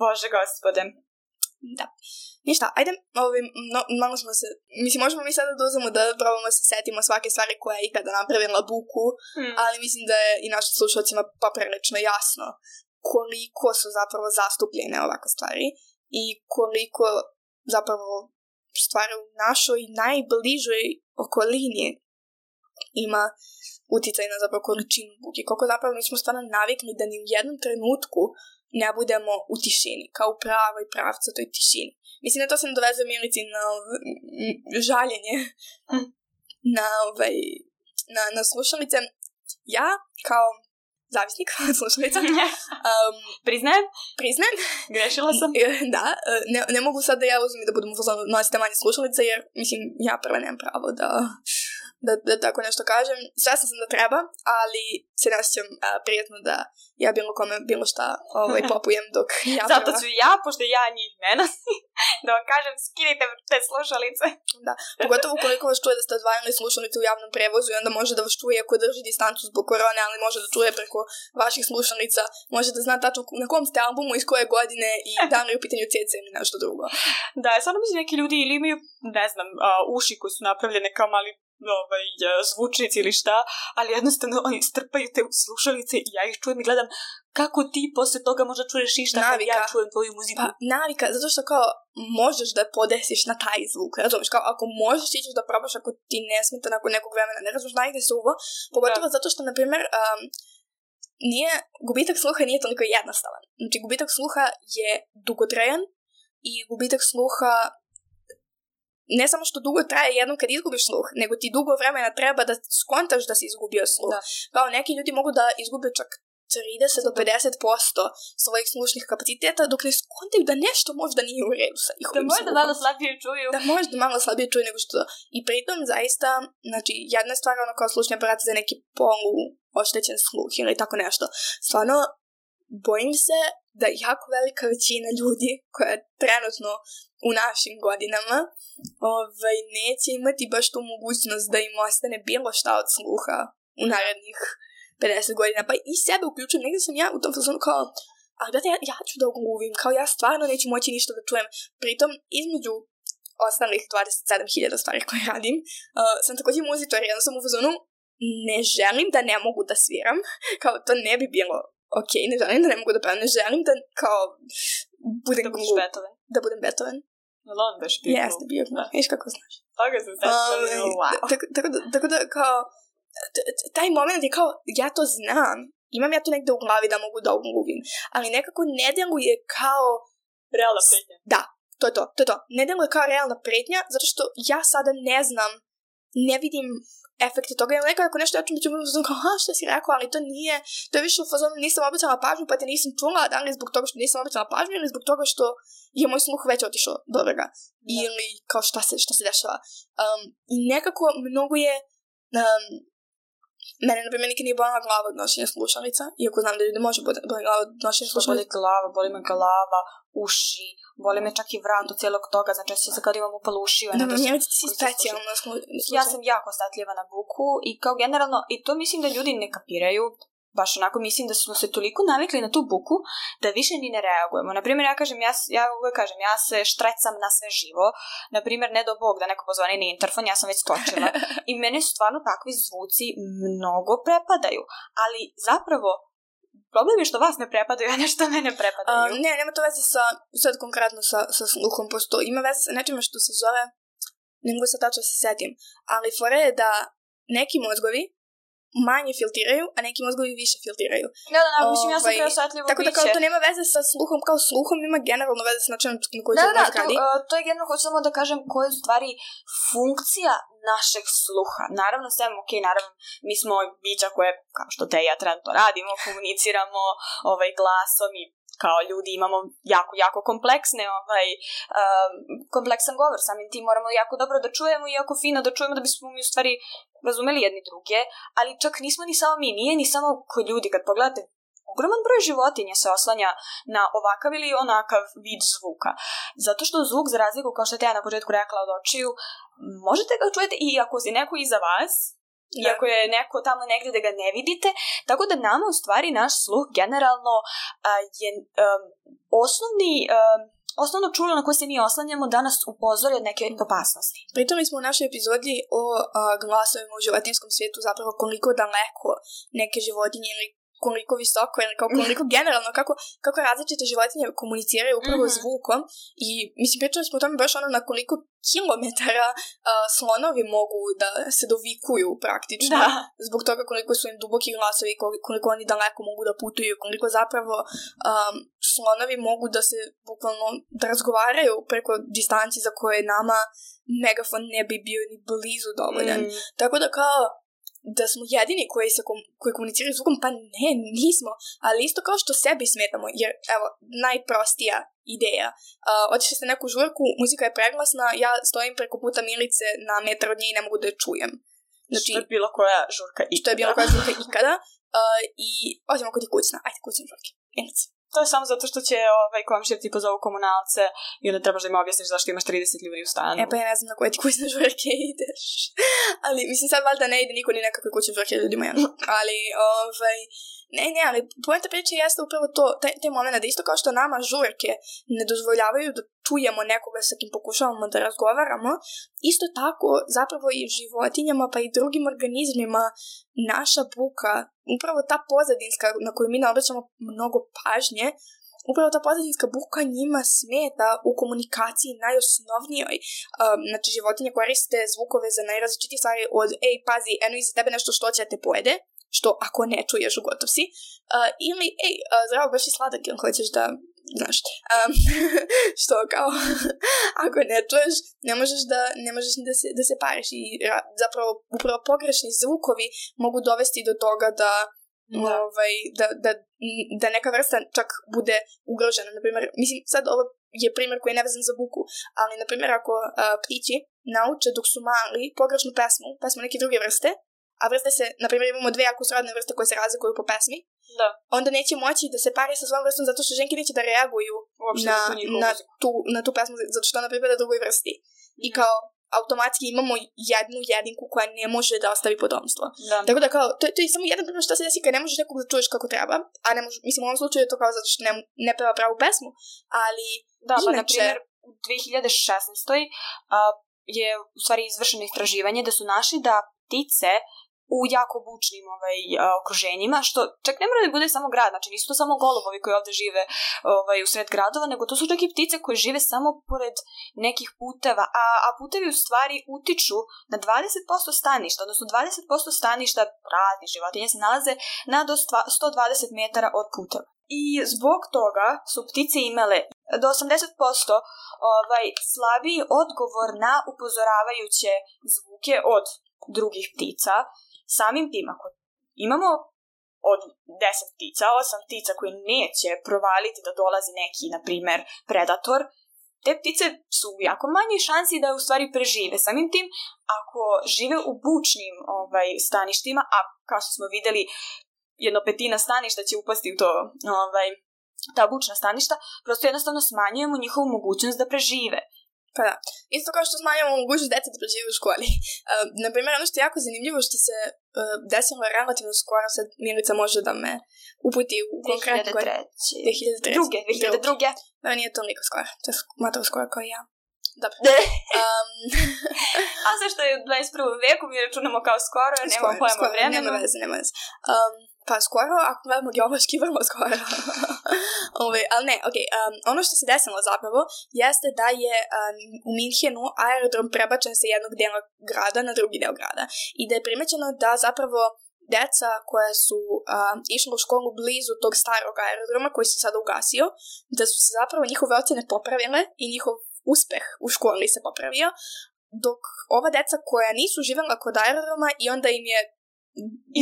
S2: bože gospode.
S1: Da. Ništa, ajde, ovim, no, malo smo se, mislim, možemo mi sada da uzemo da probamo se setimo svake stvari koja je ikada napravila buku, hmm. ali mislim da je i našim slušalcima poprilično jasno koliko su zapravo zastupljene ovakve stvari i koliko zapravo stvari u našoj najbližoj okolini ima uticaj na zapravo količinu buke. Koliko zapravo mi smo stvarno navikli da ni u jednom trenutku ne budemo u tišini, kao u pravoj pravcatoj tišini. Mislim da to se nadovezuje Milici na žaljenje mm. na, ovaj, na, na slušalice. Ja, kao zavisnik slušalica, um,
S2: priznajem,
S1: priznajem,
S2: grešila sam.
S1: Da, ne, ne mogu sad da ja uzmem da budem nosite manje slušalice, jer, mislim, ja prva nemam pravo da... Da, da tako nešto kažem. Svesna sam da treba, ali se ne osjećam uh, prijetno da ja bilo kome bilo šta ovaj, popujem dok ja
S2: Zato ću ja, pošto ja njih ne nosim. Da vam kažem, skinite te slušalice.
S1: Da, pogotovo ukoliko vas čuje da ste odvajali slušalice u javnom prevozu i onda može da vas čuje ako drži distancu zbog korone, ali može da čuje preko vaših slušalica, može da zna tačno na kom ste albumu, iz koje godine i da li je u pitanju C C ili nešto drugo.
S2: Da, stvarno mislim neki ljudi ili imaju, ne znam, uh, uši koji su napravljene kao mali ovaj, zvučnici ili šta, ali jednostavno oni strpaju te slušalice i ja ih čujem i gledam kako ti posle toga možda čuješ išta kad ja čujem tvoju muziku.
S1: Pa, navika, zato što kao možeš da podesiš na taj zvuk, razumiješ, kao ako možeš ti ćeš da probaš ako ti ne smeta nakon nekog vremena, ne razumiješ najde se uvo, pogotovo da. Zato što, na primjer, um, nije, gubitak sluha nije toliko jednostavan. Znači, gubitak sluha je dugotrajan i gubitak sluha ne samo što dugo traje jednom kad izgubiš sluh, nego ti dugo vremena treba da skontaš da si izgubio sluh. Da. Kao neki ljudi mogu da izgube čak trideset do pedeset posto svojih slušnih kapaciteta dok ne skontaju da nešto možda nije u redu sa njihovim sluhom.
S2: Da možda malo slabije čuju.
S1: Da možda malo slabije čuju nego što. I pritom zaista, znači, jedna stvar ono kao slušni aparat za neki polu oštećen sluh ili tako nešto. Stvarno, bojim se da jako velika većina ljudi koja je trenutno u našim godinama ovaj, neće imati baš tu mogućnost da im ostane bilo šta od sluha u narednih pedeset godina. Pa i sebe uključujem, negdje sam ja u tom fazonu kao, ali da ja, ja ću da gluvim, kao ja stvarno neću moći ništa da čujem. Pritom, između ostalih dvadeset sedam hiljada stvari koje radim, uh, sam također muzičar, jedno sam u fazonu, ne želim da ne mogu da sviram, kao to ne bi bilo ok, ne želim da ne mogu da pevam, ne želim da kao budem
S2: da budeš
S1: glup,
S2: Beethoven.
S1: Da budem Beethoven.
S2: Jel on baš bio?
S1: Jeste, bio glup. Viš kako znaš.
S2: Toga sam sad wow.
S1: Tako da kao, taj moment je kao, ja to znam, imam ja to negde u glavi da mogu da ugluvim, ali nekako ne deluje kao
S2: realna pretnja.
S1: Da, to je to, to je to. Ne deluje kao realna pretnja, zato što ja sada ne znam, ne vidim efekte toga. Ja nekako nešto ja ću biti u kao, ha, što si rekao, ali to nije, to je više u fazonu, nisam obećala pažnju, pa te nisam čula, da li zbog toga što nisam obećala pažnju, ili zbog toga što je moj sluh već otišao do toga. Ili kao šta se, šta se dešava. Um, I nekako mnogo je, um, mene, na primjer, nikad nije bolila glava od nošenja slušalica, iako znam da ljudi može boliti glava od nošenja slušalica.
S2: Boli glava, boli me glava, uši, boli me čak i vrat od cijelog toga, znači se kad imam upalo uši.
S1: Da, da, ja ti si specijalno slušaj.
S2: Ja sam jako osetljiva na buku i kao generalno, i to mislim da ljudi ne kapiraju, baš onako mislim da smo se toliko navikli na tu buku da više ni ne reagujemo. Naprimjer, ja kažem, ja, ja uvijek kažem, ja se štrecam na sve živo. Naprimjer, ne do Bog da neko pozvani na interfon, ja sam već skočila. I mene stvarno takvi zvuci mnogo prepadaju. Ali zapravo, problem je što vas ne prepadaju, a nešto mene prepadaju.
S1: Um, ne, nema to veze sa, sad konkretno sa, sa sluhom, posto ima veze sa nečima što se zove, ne mogu se tačno se setim, ali fora je da neki mozgovi manje filtiraju, a neki mozgovi više filtiraju.
S2: Da, da, da, mislim, ja sam preosetljivo biće.
S1: Tako da kao to nema veze sa sluhom, kao sluhom ima generalno veze sa načinom na koji se mozg radi.
S2: Da, da, to, to je generalno, hoću samo da kažem koja je stvari funkcija našeg sluha. Naravno, sve, ok, naravno, mi smo bića koje, kao što te i ja trenutno radimo, komuniciramo ovaj, glasom i kao ljudi imamo jako, jako kompleksne, ovaj, um, kompleksan govor, samim tim moramo jako dobro da čujemo i jako fino da čujemo da bismo mi u stvari razumeli jedni druge, ali čak nismo ni samo mi, nije ni samo kod ljudi, kad pogledate, ogroman broj životinja se oslanja na ovakav ili onakav vid zvuka, zato što zvuk, za razliku, kao što te ja na početku rekla od očiju, možete ga čujete i ako si neko iza vas, da. Iako je neko tamo negdje da ga ne vidite, tako da nama u stvari naš sluh generalno uh, je um, osnovni, um, osnovno čulo na koje se mi oslanjamo da nas upozori od neke opasnosti.
S1: Pritom smo u našoj epizodi o uh, glasovima u životinjskom svijetu zapravo koliko daleko neke životinje ili koliko visoko ili kao koliko generalno, kako, kako različite životinje komuniciraju upravo mm-hmm. zvukom i mislim pričali smo o tome baš ono na koliko kilometara uh, slonovi mogu da se dovikuju praktično da. Zbog toga koliko su im duboki glasovi, koliko oni daleko mogu da putuju, koliko zapravo um, slonovi mogu da se bukvalno da razgovaraju preko distanci za koje nama megafon ne bi bio ni blizu dovoljan. Mm. Tako da kao da smo jedini koji, se kom, koji komuniciraju zvukom, pa ne, nismo. Ali isto kao što sebi smetamo, jer, evo, najprostija ideja. Uh, otišli ste neku žurku, muzika je preglasna, ja stojim preko puta Milice na metar od nje i ne mogu da je čujem.
S2: Znači, što je bilo koja žurka ikada.
S1: Što je bilo koja žurka ikada. Uh, I, osim ako ti kućna. Ajde, kućna žurke. Milice.
S2: To je samo zato što će ovaj komšija ti pozovu komunalce i onda trebaš da im objasniš zašto imaš trideset ljudi u stanu.
S1: E pa ja ne znam na koje ti kućne žurke ideš. Ali, mislim, sad valjda ne ide niko ni nekakve kućne žurke ljudima, ja. Ali, ovaj, ne, ne, ali poenta priče jeste upravo to, te, te momena, da isto kao što nama žurke ne dozvoljavaju da čujemo nekoga sa kim pokušavamo da razgovaramo, isto tako zapravo i životinjama pa i drugim organizmima naša buka, upravo ta pozadinska na koju mi ne obraćamo mnogo pažnje, upravo ta pozadinska buka njima smeta u komunikaciji najosnovnijoj. Um, znači, životinje koriste zvukove za najrazličitije stvari od ej, pazi, eno iza tebe nešto što će da te pojede, što ako ne čuješ, gotov si. Uh, ili, ej, uh, zdravo, baš i sladak, ili hoćeš da, znaš, um, što kao, ako ne čuješ, ne možeš da, ne možeš ni da se, da se pariš. I ra- zapravo, upravo pogrešni zvukovi mogu dovesti do toga da Da. Ovaj, da, da, da neka vrsta čak bude ugrožena. Naprimjer, mislim, sad ovo je primjer koji je nevezan za buku, ali, na primjer, ako uh, ptići nauče dok su mali pogrešnu pesmu, pesmu neke druge vrste, a vrste se, na primjer, imamo dve jako srodne vrste koje se razlikuju po pesmi,
S2: da.
S1: Onda neće moći da se pari sa svojom vrstom zato što ženke neće da reaguju na, na, tu, na tu pesmu zato što ona pripada drugoj vrsti. Mm. I kao automatski imamo jednu jedinku koja ne može da ostavi potomstvo. Da. Tako da kao, to, to je samo jedan primjer što se desi kad ne možeš nekog da čuješ kako treba, a ne može, mislim u ovom slučaju je to kao zato što ne, ne peva pravu pesmu, ali
S2: da,
S1: inače...
S2: pa na primjer u dve hiljade šesnaestoj Uh, je u stvari izvršeno istraživanje da su našli da ptice u jako bučnim ovaj, okruženjima, što čak ne mora da bude samo grad, znači nisu to samo golubovi koji ovde žive ovaj, u sred gradova, nego to su čak i ptice koje žive samo pored nekih puteva, a, a putevi u stvari utiču na dvadeset posto staništa, odnosno dvadeset posto staništa raznih životinja se nalaze na do sto dvadeset metara od puteva. I zbog toga su ptice imale do osamdeset posto ovaj, slabiji odgovor na upozoravajuće zvuke od drugih ptica. Samim tim, ako imamo od deset ptica, osam ptica koje neće provaliti da dolazi neki, na primer, predator, te ptice su u jako manjoj šansi da u stvari prežive. Samim tim, ako žive u bučnim ovaj, staništima, a kao što smo videli, jedno petina staništa će upasti u to, ovaj, ta bučna staništa, prosto jednostavno smanjujemo njihovu mogućnost da prežive.
S1: Pa da. Isto kao što smanjamo mogućnost djeca da prežive u školi. Uh, naprimjer, ono što je jako zanimljivo što se uh, desilo relativno skoro, sad Milica može da me uputi u konkretno...
S2: dve hiljade treće.
S1: dve hiljade treće.
S2: Druge, dve hiljade druge.
S1: Da, nije to toliko skoro. To je matro skoro kao i ja. Dobro.
S2: Um, a sve što je u dvadeset prvom veku mi računamo kao skoro, jer nema pojma vremena.
S1: Nema veze, nema veze. Um, pa skoro, ako gledamo geološki, vrlo skoro. Ove, ali ne, ok. Um, ono što se desilo zapravo jeste da je um, u Minhenu aerodrom prebačen sa jednog dela grada na drugi del grada. I da je primećeno da zapravo deca koja su um, išla u školu blizu tog starog aerodroma koji se sada ugasio, da su se zapravo njihove ocene popravile i njihov uspeh u školi se popravio, dok ova deca koja nisu živjela kod aerodroma i onda im je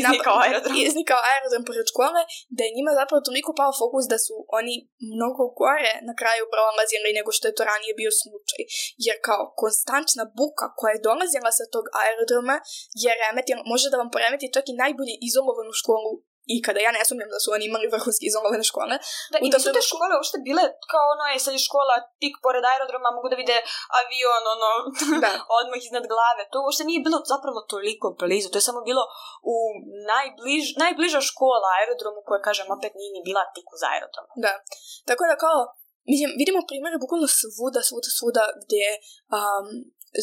S2: iznikao aerodrom.
S1: iznikao aerodrom pored škole, da je njima zapravo toliko pao fokus da su oni mnogo gore na kraju prolazili nego što je to ranije bio slučaj. Jer kao konstantna buka koja je dolazila sa tog aerodroma je remetila, može da vam poremeti čak i najbolje izolovanu školu i kada ja ne sumnjam da su oni imali vrhunski izolovane škole.
S2: Da, i nisu te škole uopšte bile kao ono je sad je škola tik pored aerodroma, mogu da vide avion ono odmah iznad glave. To uopšte nije bilo zapravo toliko blizu. To je samo bilo u najbliž, najbliža škola aerodromu koja, kažem, opet nije ni bila tik uz aerodrom.
S1: Da. Tako da kao, mislim, vidimo primjere bukvalno svuda, svuda, svuda gdje um,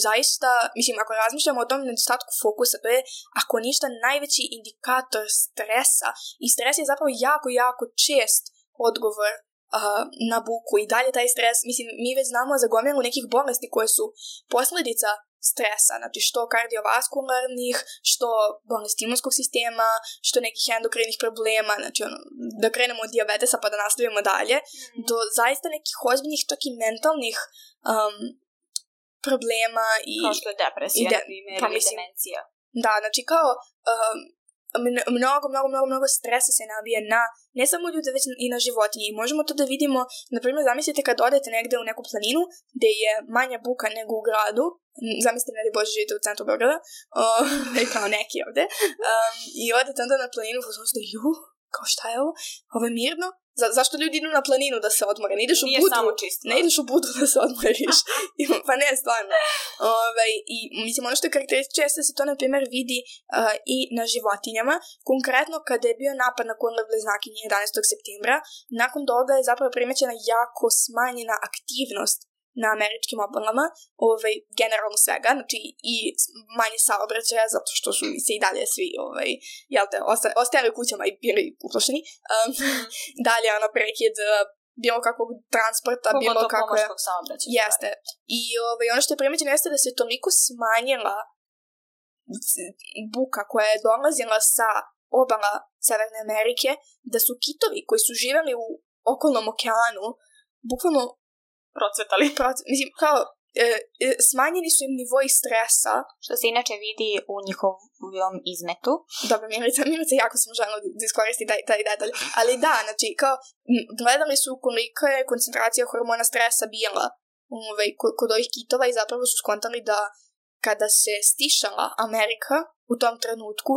S1: zaista, mislim, ako razmišljamo o tom nedostatku fokusa, to je, ako ništa, najveći indikator stresa. I stres je zapravo jako, jako čest odgovor uh, na buku. I dalje taj stres, mislim, mi već znamo za gomilu nekih bolesti koje su posljedica stresa, znači što kardiovaskularnih, što bolesti imunskog sistema, što nekih endokrinih problema, znači ono, da krenemo od dijabetesa pa da nastavimo dalje, mm. do zaista nekih ozbiljnih, čak i mentalnih um, problema i...
S2: Kao što je depresija, de, na primjer, pa, ili demencija.
S1: Da, znači kao um, mnogo, mnogo, mnogo, mnogo stresa se nabije na, ne samo ljude, već i na životinje. I možemo to da vidimo, na primjer, zamislite kad odete negde u neku planinu, gde je manja buka nego u gradu, zamislite, ne da Bože, živite u centru Beograda, uh, kao neki ovde, um, i odete onda na planinu, pa smo što, ju, kao šta je ovo? Ovo je mirno? Za, zašto ljudi idu na planinu da se odmore? Ne ideš u
S2: Nije
S1: Budvu,
S2: samo čisto.
S1: ne ideš u Budvu da se odmoriš. Pa ne, stvarno. Ove, I mislim, ono što je karakteristično jeste da se to, na primjer, vidi uh, i na životinjama. Konkretno, kada je bio napad na Kundle bliznakinje jedanaestog septembra, nakon toga je zapravo primećena jako smanjena aktivnost na američkim obalama, ovaj, generalno svega, znači i manje saobraćaja, zato što su se i dalje svi, ovaj, jel te, osta, ostajali kućama i bili uplašeni. Um, dalje, ono, prekid bilo kakvog transporta,
S2: Koliko
S1: bilo
S2: to
S1: kako...
S2: pomorskog saobraćaja.
S1: Jeste. I ovaj, ono što je primećeno jeste da se toliko smanjila buka koja je dolazila sa obala Severne Amerike, da su kitovi koji su živjeli u okolnom okeanu, bukvalno
S2: procvetali.
S1: Proc- mislim, kao, e, e, smanjeni su im nivoji stresa.
S2: Što se inače vidi u njihovom izmetu.
S1: Dobro, Milica, Milica, jako sam željela da iskoristi taj, taj detalj. Ali da, znači, kao, m, gledali su kolika je koncentracija hormona stresa bila ovaj, kod, kod ovih kitova i zapravo su skontali da kada se stišala Amerika u tom trenutku,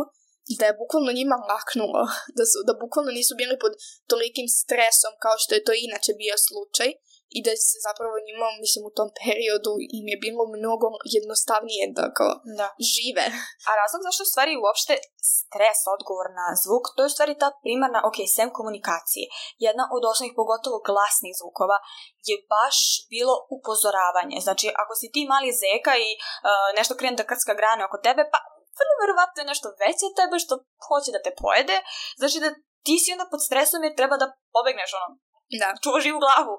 S1: da je bukvalno njima laknulo, da, su, da bukvalno nisu bili pod tolikim stresom kao što je to inače bio slučaj i da se zapravo njima, mislim, u tom periodu im je bilo mnogo jednostavnije da kao
S2: da.
S1: žive.
S2: A razlog zašto u stvari uopšte stres, odgovor na zvuk, to je u stvari ta primarna, ok, sem komunikacije, jedna od osnovnih, pogotovo glasnih zvukova, je baš bilo upozoravanje. Znači, ako si ti mali zeka i uh, nešto krene da krcka grane oko tebe, pa vrlo verovatno je nešto veće od tebe što hoće da te pojede, znači da ti si onda pod stresom jer treba da pobegneš, ono,
S1: da.
S2: Čuvaš živu glavu.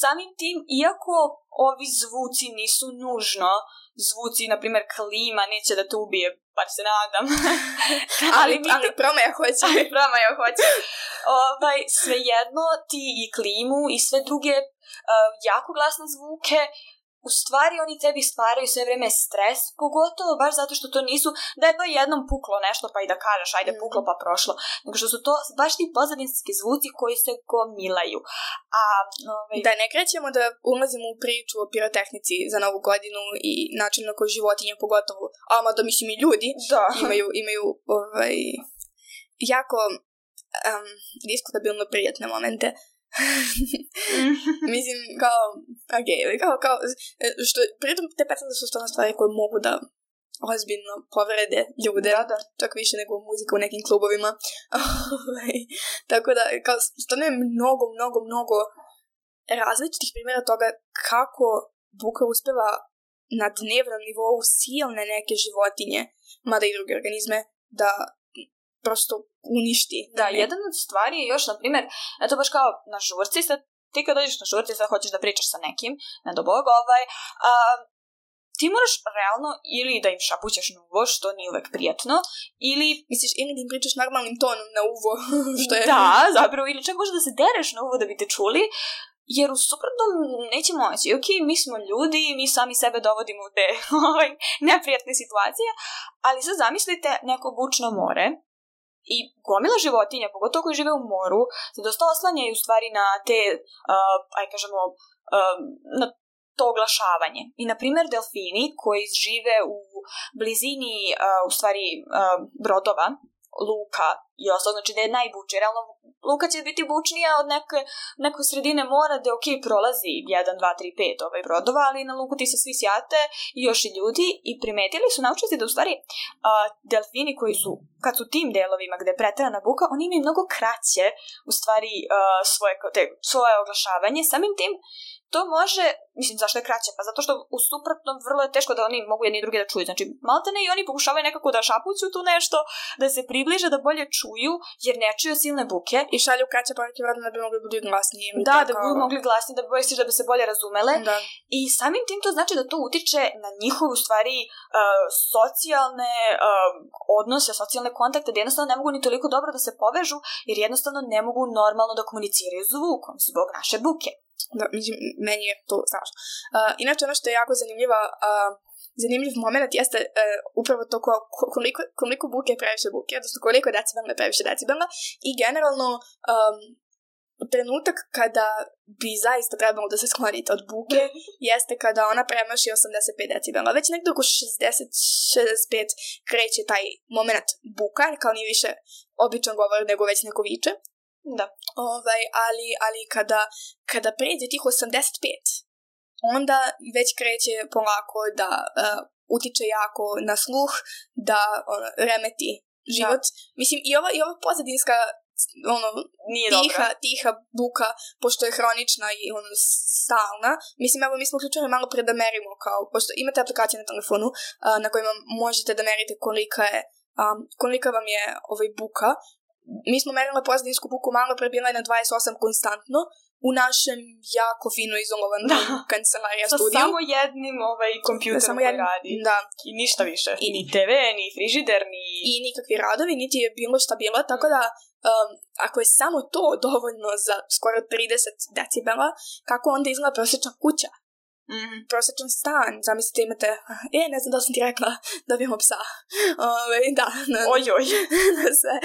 S2: Samim tim, iako ovi zvuci nisu nužno zvuci, na primjer klima, neće da te ubije, pa se nadam.
S1: ali, ali, ali promaja hoće.
S2: Ali promaja hoće. Ovaj, svejedno ti i klimu i sve druge uh, jako glasne zvuke, u stvari oni tebi stvaraju sve vreme stres, pogotovo baš zato što to nisu, da je to jednom puklo nešto pa i da kažeš ajde puklo pa prošlo, nego što su to baš ti pozadinski zvuci koji se gomilaju. A, ovaj...
S1: Da ne krećemo da ulazimo u priču o pirotehnici za Novu godinu i način na koji životinje pogotovo, ama da mislim i ljudi
S2: da. imaju,
S1: imaju ovaj, jako um, diskutabilno prijatne momente. Mislim, kao, ok, kao, kao, što, pritom te petale su stvarno stvari koje mogu da ozbiljno povrede ljude,
S2: da, da.
S1: čak više nego muzika u nekim klubovima. Tako da, kao, stvarno je mnogo, mnogo, mnogo različitih primjera toga kako buka uspeva na dnevnom nivou silne neke životinje, mada i druge organizme, da prosto uništi.
S2: Da, ne. Jedan od stvari je još, na primjer, eto baš kao na žurci, sad ti kad dođeš na žurci, sad hoćeš da pričaš sa nekim, ne do Bog, ovaj, a, ti moraš realno ili da im šapućeš na uvo, što nije uvek prijatno, ili...
S1: Misliš, ili da im pričaš normalnim tonom na uvo, što je...
S2: Da, zapravo, ili čak možda da se dereš na uvo da bi te čuli, jer u suprotnom neće moći. Ok, mi smo ljudi, mi sami sebe dovodimo u te ovaj, neprijatne situacije, ali sad zamislite neko bučno more, i gomila životinja, pogotovo koji žive u moru, se dosta oslanjaju u stvari na te, uh, aj kažemo, uh, na to oglašavanje. I, na primjer, delfini koji žive u blizini, uh, u stvari, uh, brodova, luka i ostalo, znači da je najbučnije. Realno, luka će biti bučnija od neke, neke sredine mora da ok, prolazi jedan, dva, tri, pet ovaj brodova, ali na luku ti se svi sjate i još i ljudi i primetili su naučnici da u stvari uh, delfini koji su, kad su tim delovima gde je preterana buka, oni imaju mnogo kraće u stvari uh, svoje, te, svoje oglašavanje. Samim tim to može, mislim, zašto je kraće? Pa zato što u suprotnom vrlo je teško da oni mogu jedni i drugi da čuju. Znači, maltene i oni pokušavaju nekako da šapuću tu nešto, da se približe, da bolje čuju, jer ne čuju silne buke.
S1: I šalju kraće poruke vredno da bi mogli budu glasniji.
S2: Da, tako... da bi mogli glasniji, da bi bolje da bi se bolje razumele.
S1: Da.
S2: I samim tim to znači da to utiče na njihovu stvari uh, socijalne uh, odnose, socijalne kontakte, da jednostavno ne mogu ni toliko dobro da se povežu, jer jednostavno ne mogu normalno da komuniciraju zvukom zbog naše buke.
S1: Da, meni je to strašno. Uh, inače, ono što je jako zanimljiva, uh, zanimljiv moment jeste uh, upravo to ko, koliko, koliko buke je previše buke, odnosno koliko decibelna je previše decibelna i generalno um, trenutak kada bi zaista trebalo da se sklonite od buke jeste kada ona premaši osamdeset pet decibela. Već nekdo oko šezdeset šezdeset pet kreće taj moment buka, kao nije više običan govor nego već neko viče.
S2: Da.
S1: Ovaj, ali, ali kada, kada pređe tih osamdeset pet, onda već kreće polako da uh, utiče jako na sluh, da ono, remeti život. Da. Mislim, i ova, i ova pozadinska ono,
S2: nije
S1: tiha,
S2: dobra.
S1: tiha buka, pošto je hronična i ono, stalna. Mislim, evo, mi smo uključili malo pre da merimo, kao, pošto imate aplikacije na telefonu uh, na kojima možete da merite kolika je, um, kolika vam je ovaj buka. Mi smo merili pozadinsku buku malo pre, bila je na dvadeset osam konstantno, u našem jako fino izolovanom kancelarija studiju.
S2: Sa samo jednim ovaj, kompjuterom koji jednim, radi.
S1: Da.
S2: I ništa više. I, ni te ve, ni frižider, ni...
S1: I nikakvi radovi, niti je bilo šta bilo, tako da um, ako je samo to dovoljno za skoro trideset decibela, kako onda izgleda prosječna kuća? Mm-hmm. Prosječan stan, zamislite imate, e, ne znam da sam ti rekla da imamo psa. Ove, da. Na,
S2: oj, oj.
S1: Na sve.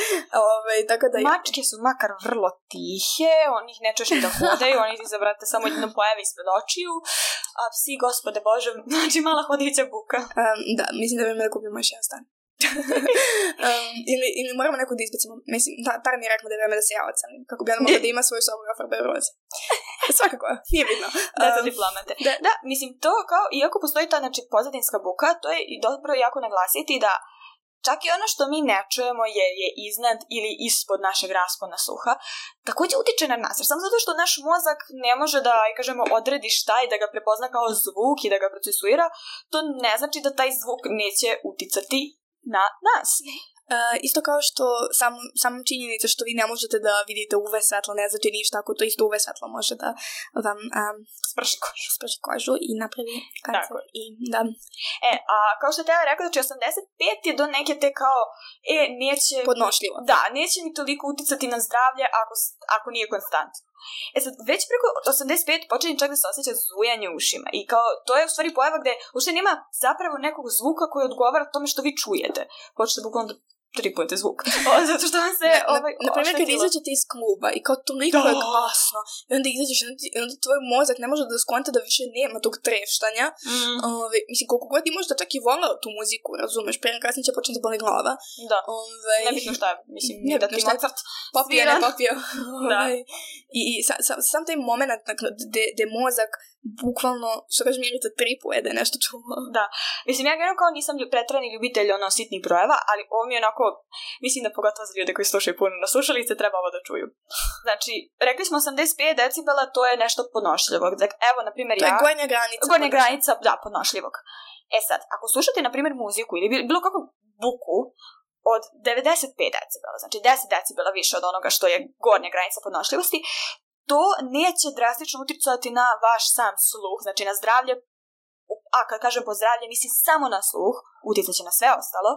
S1: Ove, tako da...
S2: Mačke su makar vrlo tihe, oni ih ne čuješ ni da hodaju, oni ti zavrate samo jednom pojave ispred očiju, a psi, gospode Bože, znači mala hodića buka.
S1: Um, da, mislim da bi me da kupimo još jedan stan. um, ili, ili moramo neko da izbacimo. Mislim, ta, tar mi je rekla da je vreme da se ja ocanim, kako bi ona mogla da ima svoju sobu i ofarbe roze. Svakako, nije bitno.
S2: Da, to diplomate. Da. da, mislim, to kao, iako postoji ta, znači, pozadinska buka, to je i dobro jako naglasiti da čak i ono što mi ne čujemo jer je iznad ili ispod našeg raspona sluha, također utiče na nas. Jer samo zato što naš mozak ne može da, kažemo, odredi šta i da ga prepozna kao zvuk i da ga procesuira, to ne znači da taj zvuk neće uticati na nas.
S1: Uh, isto kao što sam, samom činjenica što vi ne možete da vidite U V svetlo ne znači ništa, ako to isto U V svetlo može da vam um,
S2: sprži kožu.
S1: sprži kožu i napravi kancer. I, da.
S2: E, a kao što te ja rekao, znači osamdeset pet je do neke te kao, e, neće...
S1: Podnošljivo.
S2: Da, neće mi toliko uticati na zdravlje ako, ako nije konstantno. E sad, već preko osamdeset pet počinje čak da se osjeća zujanje u ušima i kao, to je u stvari pojava gde uopšte nema zapravo nekog zvuka koji odgovara tome što vi čujete. Počete bukvalno da tripujete zvuk. O, zato što vam se ovaj,
S1: na, naprimjer, kad izađete iz kluba i kao toliko da. Je glasno i onda izađeš i onda tvoj mozak ne može da skonta da više nema tog treštanja. Mm. Ove, mislim, koliko god ti možda čak i volao tu muziku, razumeš, prije kasnije će početi da boli glava.
S2: Da.
S1: Ove,
S2: nebitno šta je, mislim, ne da ti Mozart
S1: popio, ne popio. Da. Ove, I, i sa, sa, sam taj moment gde mozak bukvalno, što kažem, Milica, tripuje da je nešto čulo.
S2: Da. Mislim, ja gledam kao nisam pretrani ljubitelj ono sitnih brojeva, ali ovo mi je onako, mislim da pogotovo za ljude koji slušaju puno na slušalice treba ovo da čuju. Znači, rekli smo osamdeset pet decibela, to je nešto podnošljivog. Dakle, evo, na primjer, ja...
S1: To je gornja granica.
S2: Gornja granica, da, podnošljivog. E sad, ako slušate, na primjer, muziku ili bilo kakvu buku od devedeset pet decibela, znači deset decibela više od onoga što je gornja granica podnošljivosti, to neće drastično uticati na vaš sam sluh, znači na zdravlje, a kad kažem po zdravlje, mislim samo na sluh, uticat će na sve ostalo,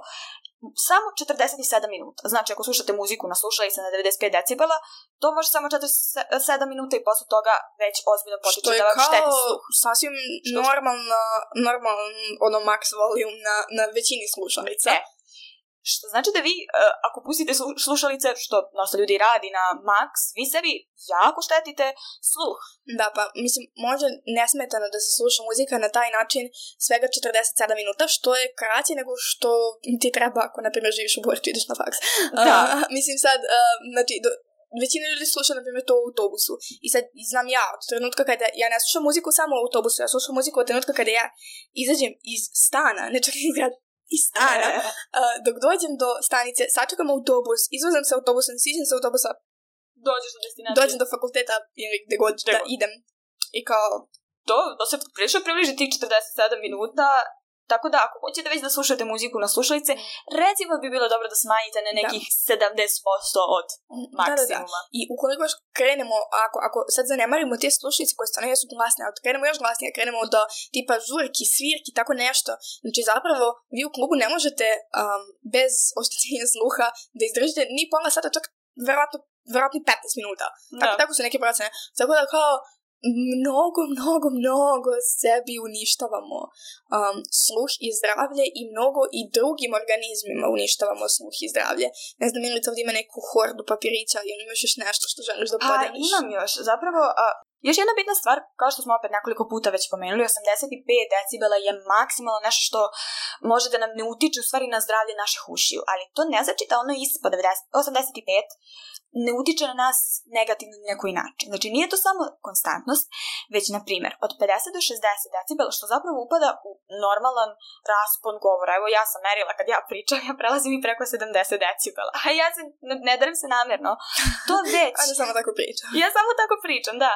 S2: samo četrdeset sedam minuta. Znači, ako slušate muziku na slušalice na devedeset pet decibela, to može samo četrdeset sedam minuta i posle toga već ozbiljno potiče da vam šteti sluh.
S1: Sasvim normalno, normalno ono max volume na, na većini slušalica.
S2: E. Što znači da vi, uh, ako pustite slušalice, što dosta ljudi radi na max, vi sebi jako štetite sluh.
S1: Da, pa, mislim, može nesmetano da se sluša muzika na taj način svega četrdeset sedam minuta, što je kraće nego što ti treba ako, na primjer, živiš u Borču i ideš na faks.
S2: Da.
S1: Uh, mislim, sad, uh, znači, do, većina ljudi sluša, na primjer, to u autobusu. I sad, znam ja, od trenutka kada ja ne slušam muziku samo u autobusu, ja slušam muziku od trenutka kada ja izađem iz stana, ne čak iz grada, iz stana, uh, dok dođem do stanice, sačekam autobus, izvozam se autobusom, siđem se autobusa,
S2: dođeš do destinacije,
S1: dođem do fakulteta ili gde god da god. idem. I kao...
S2: To, to se prilično približi tih četrdeset sedam minuta, tako da ako hoćete već da slušate muziku na slušalice, recimo bi bilo dobro da smanjite na nekih da. sedamdeset posto od maksimuma.
S1: Da, da, da. I ukoliko još krenemo, ako, ako sad zanemarimo te slušalice koje stvarno jesu glasne, ali krenemo još glasnije, krenemo do tipa žurki, svirki, tako nešto, znači zapravo vi u klubu ne možete um, bez oštećenja sluha da izdržite ni pola sata, čak verovatno, verovatno petnaest minuta. Tako, tako su neke procene. Tako da kao mnogo, mnogo, mnogo sebi uništavamo um, sluh i zdravlje i mnogo i drugim organizmima uništavamo sluh i zdravlje. Ne znam, Milica ovdje ima neku hordu papirića ili imaš još nešto što želiš da podeliš?
S2: Pa imam još, zapravo... Uh... Još jedna bitna stvar, kao što smo opet nekoliko puta već pomenuli, osamdeset pet decibela je maksimalno nešto što može da nam ne utiče u stvari na zdravlje naših ušiju, ali to ne znači da ono ispod osamdeset pet ne utiče na nas negativno na neki način. Znači nije to samo konstantnost, već na primjer od pedeset do šezdeset decibela, što zapravo upada u normalan raspon govora. Evo ja sam merila kad ja pričam, ja prelazim i preko sedamdeset decibela, a ja se ne, ne darim se namjerno. To već...
S1: A da samo tako pričam.
S2: Ja samo tako pričam, da.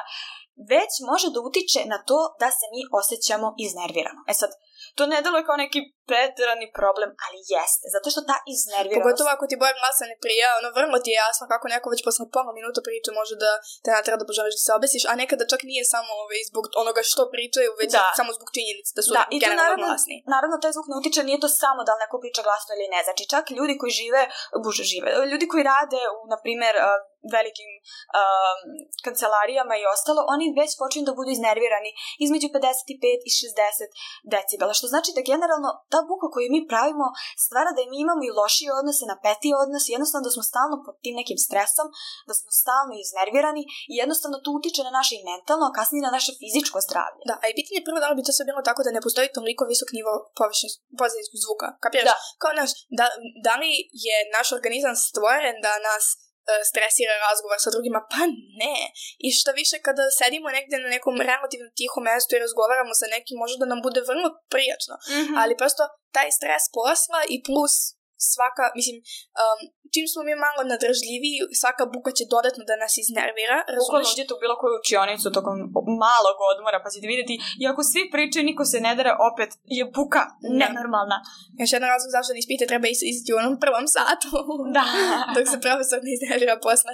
S2: Već može da utiče na to da se mi osjećamo iznervirano. E sad, to ne deluje kao neki preterani problem, ali jeste, zato što ta iznerviranost...
S1: Pogotovo ako ti boja glasa ne prija, ono vrlo ti je jasno kako neko već posle pola minuta priča može da te natreba da poželiš da se obesiš, a nekada čak nije samo ovaj, zbog onoga što pričaju, već
S2: da.
S1: samo zbog činjenice da su
S2: da,
S1: generalno glasni.
S2: Naravno, taj zvuk ne utiče, nije to samo da li neko priča glasno ili ne, znači čak ljudi koji žive, buže žive, ljudi koji rade u, na primjer, velikim um, kancelarijama i ostalo, oni već počinju da budu iznervirani između pedeset pet i šezdeset decibela, što znači da generalno ta buka koju mi pravimo stvara da mi imamo i lošije odnose, napetije odnose, jednostavno da smo stalno pod tim nekim stresom, da smo stalno iznervirani i jednostavno to utiče na naše i mentalno, a kasnije na naše fizičko zdravlje.
S1: Da, a i pitanje prvo da li bi to sve bilo tako da ne postoji toliko visok nivo površinskog zvuka, kapiraš?
S2: Da.
S1: Kao naš, da, da li je naš organizam stvoren da nas stresira razgovor sa drugima? Pa ne. I što više kada sedimo negdje na nekom relativno tihom mjestu i razgovaramo sa nekim, može da nam bude vrlo prijatno. Mm-hmm. Ali prosto taj stres posla i plus svaka, mislim, um, čim smo mi malo nadržljiviji, svaka buka će dodatno da nas iznervira.
S2: Bukvalno uđete u bilo koju učionicu tokom malog odmora, pa ćete vidjeti, i ako svi pričaju, niko se ne dere, opet je buka nenormalna.
S1: Još jedan razlog zašto da ispite treba ići u onom prvom satu.
S2: Da.
S1: Dok se profesor ne iznervira posle.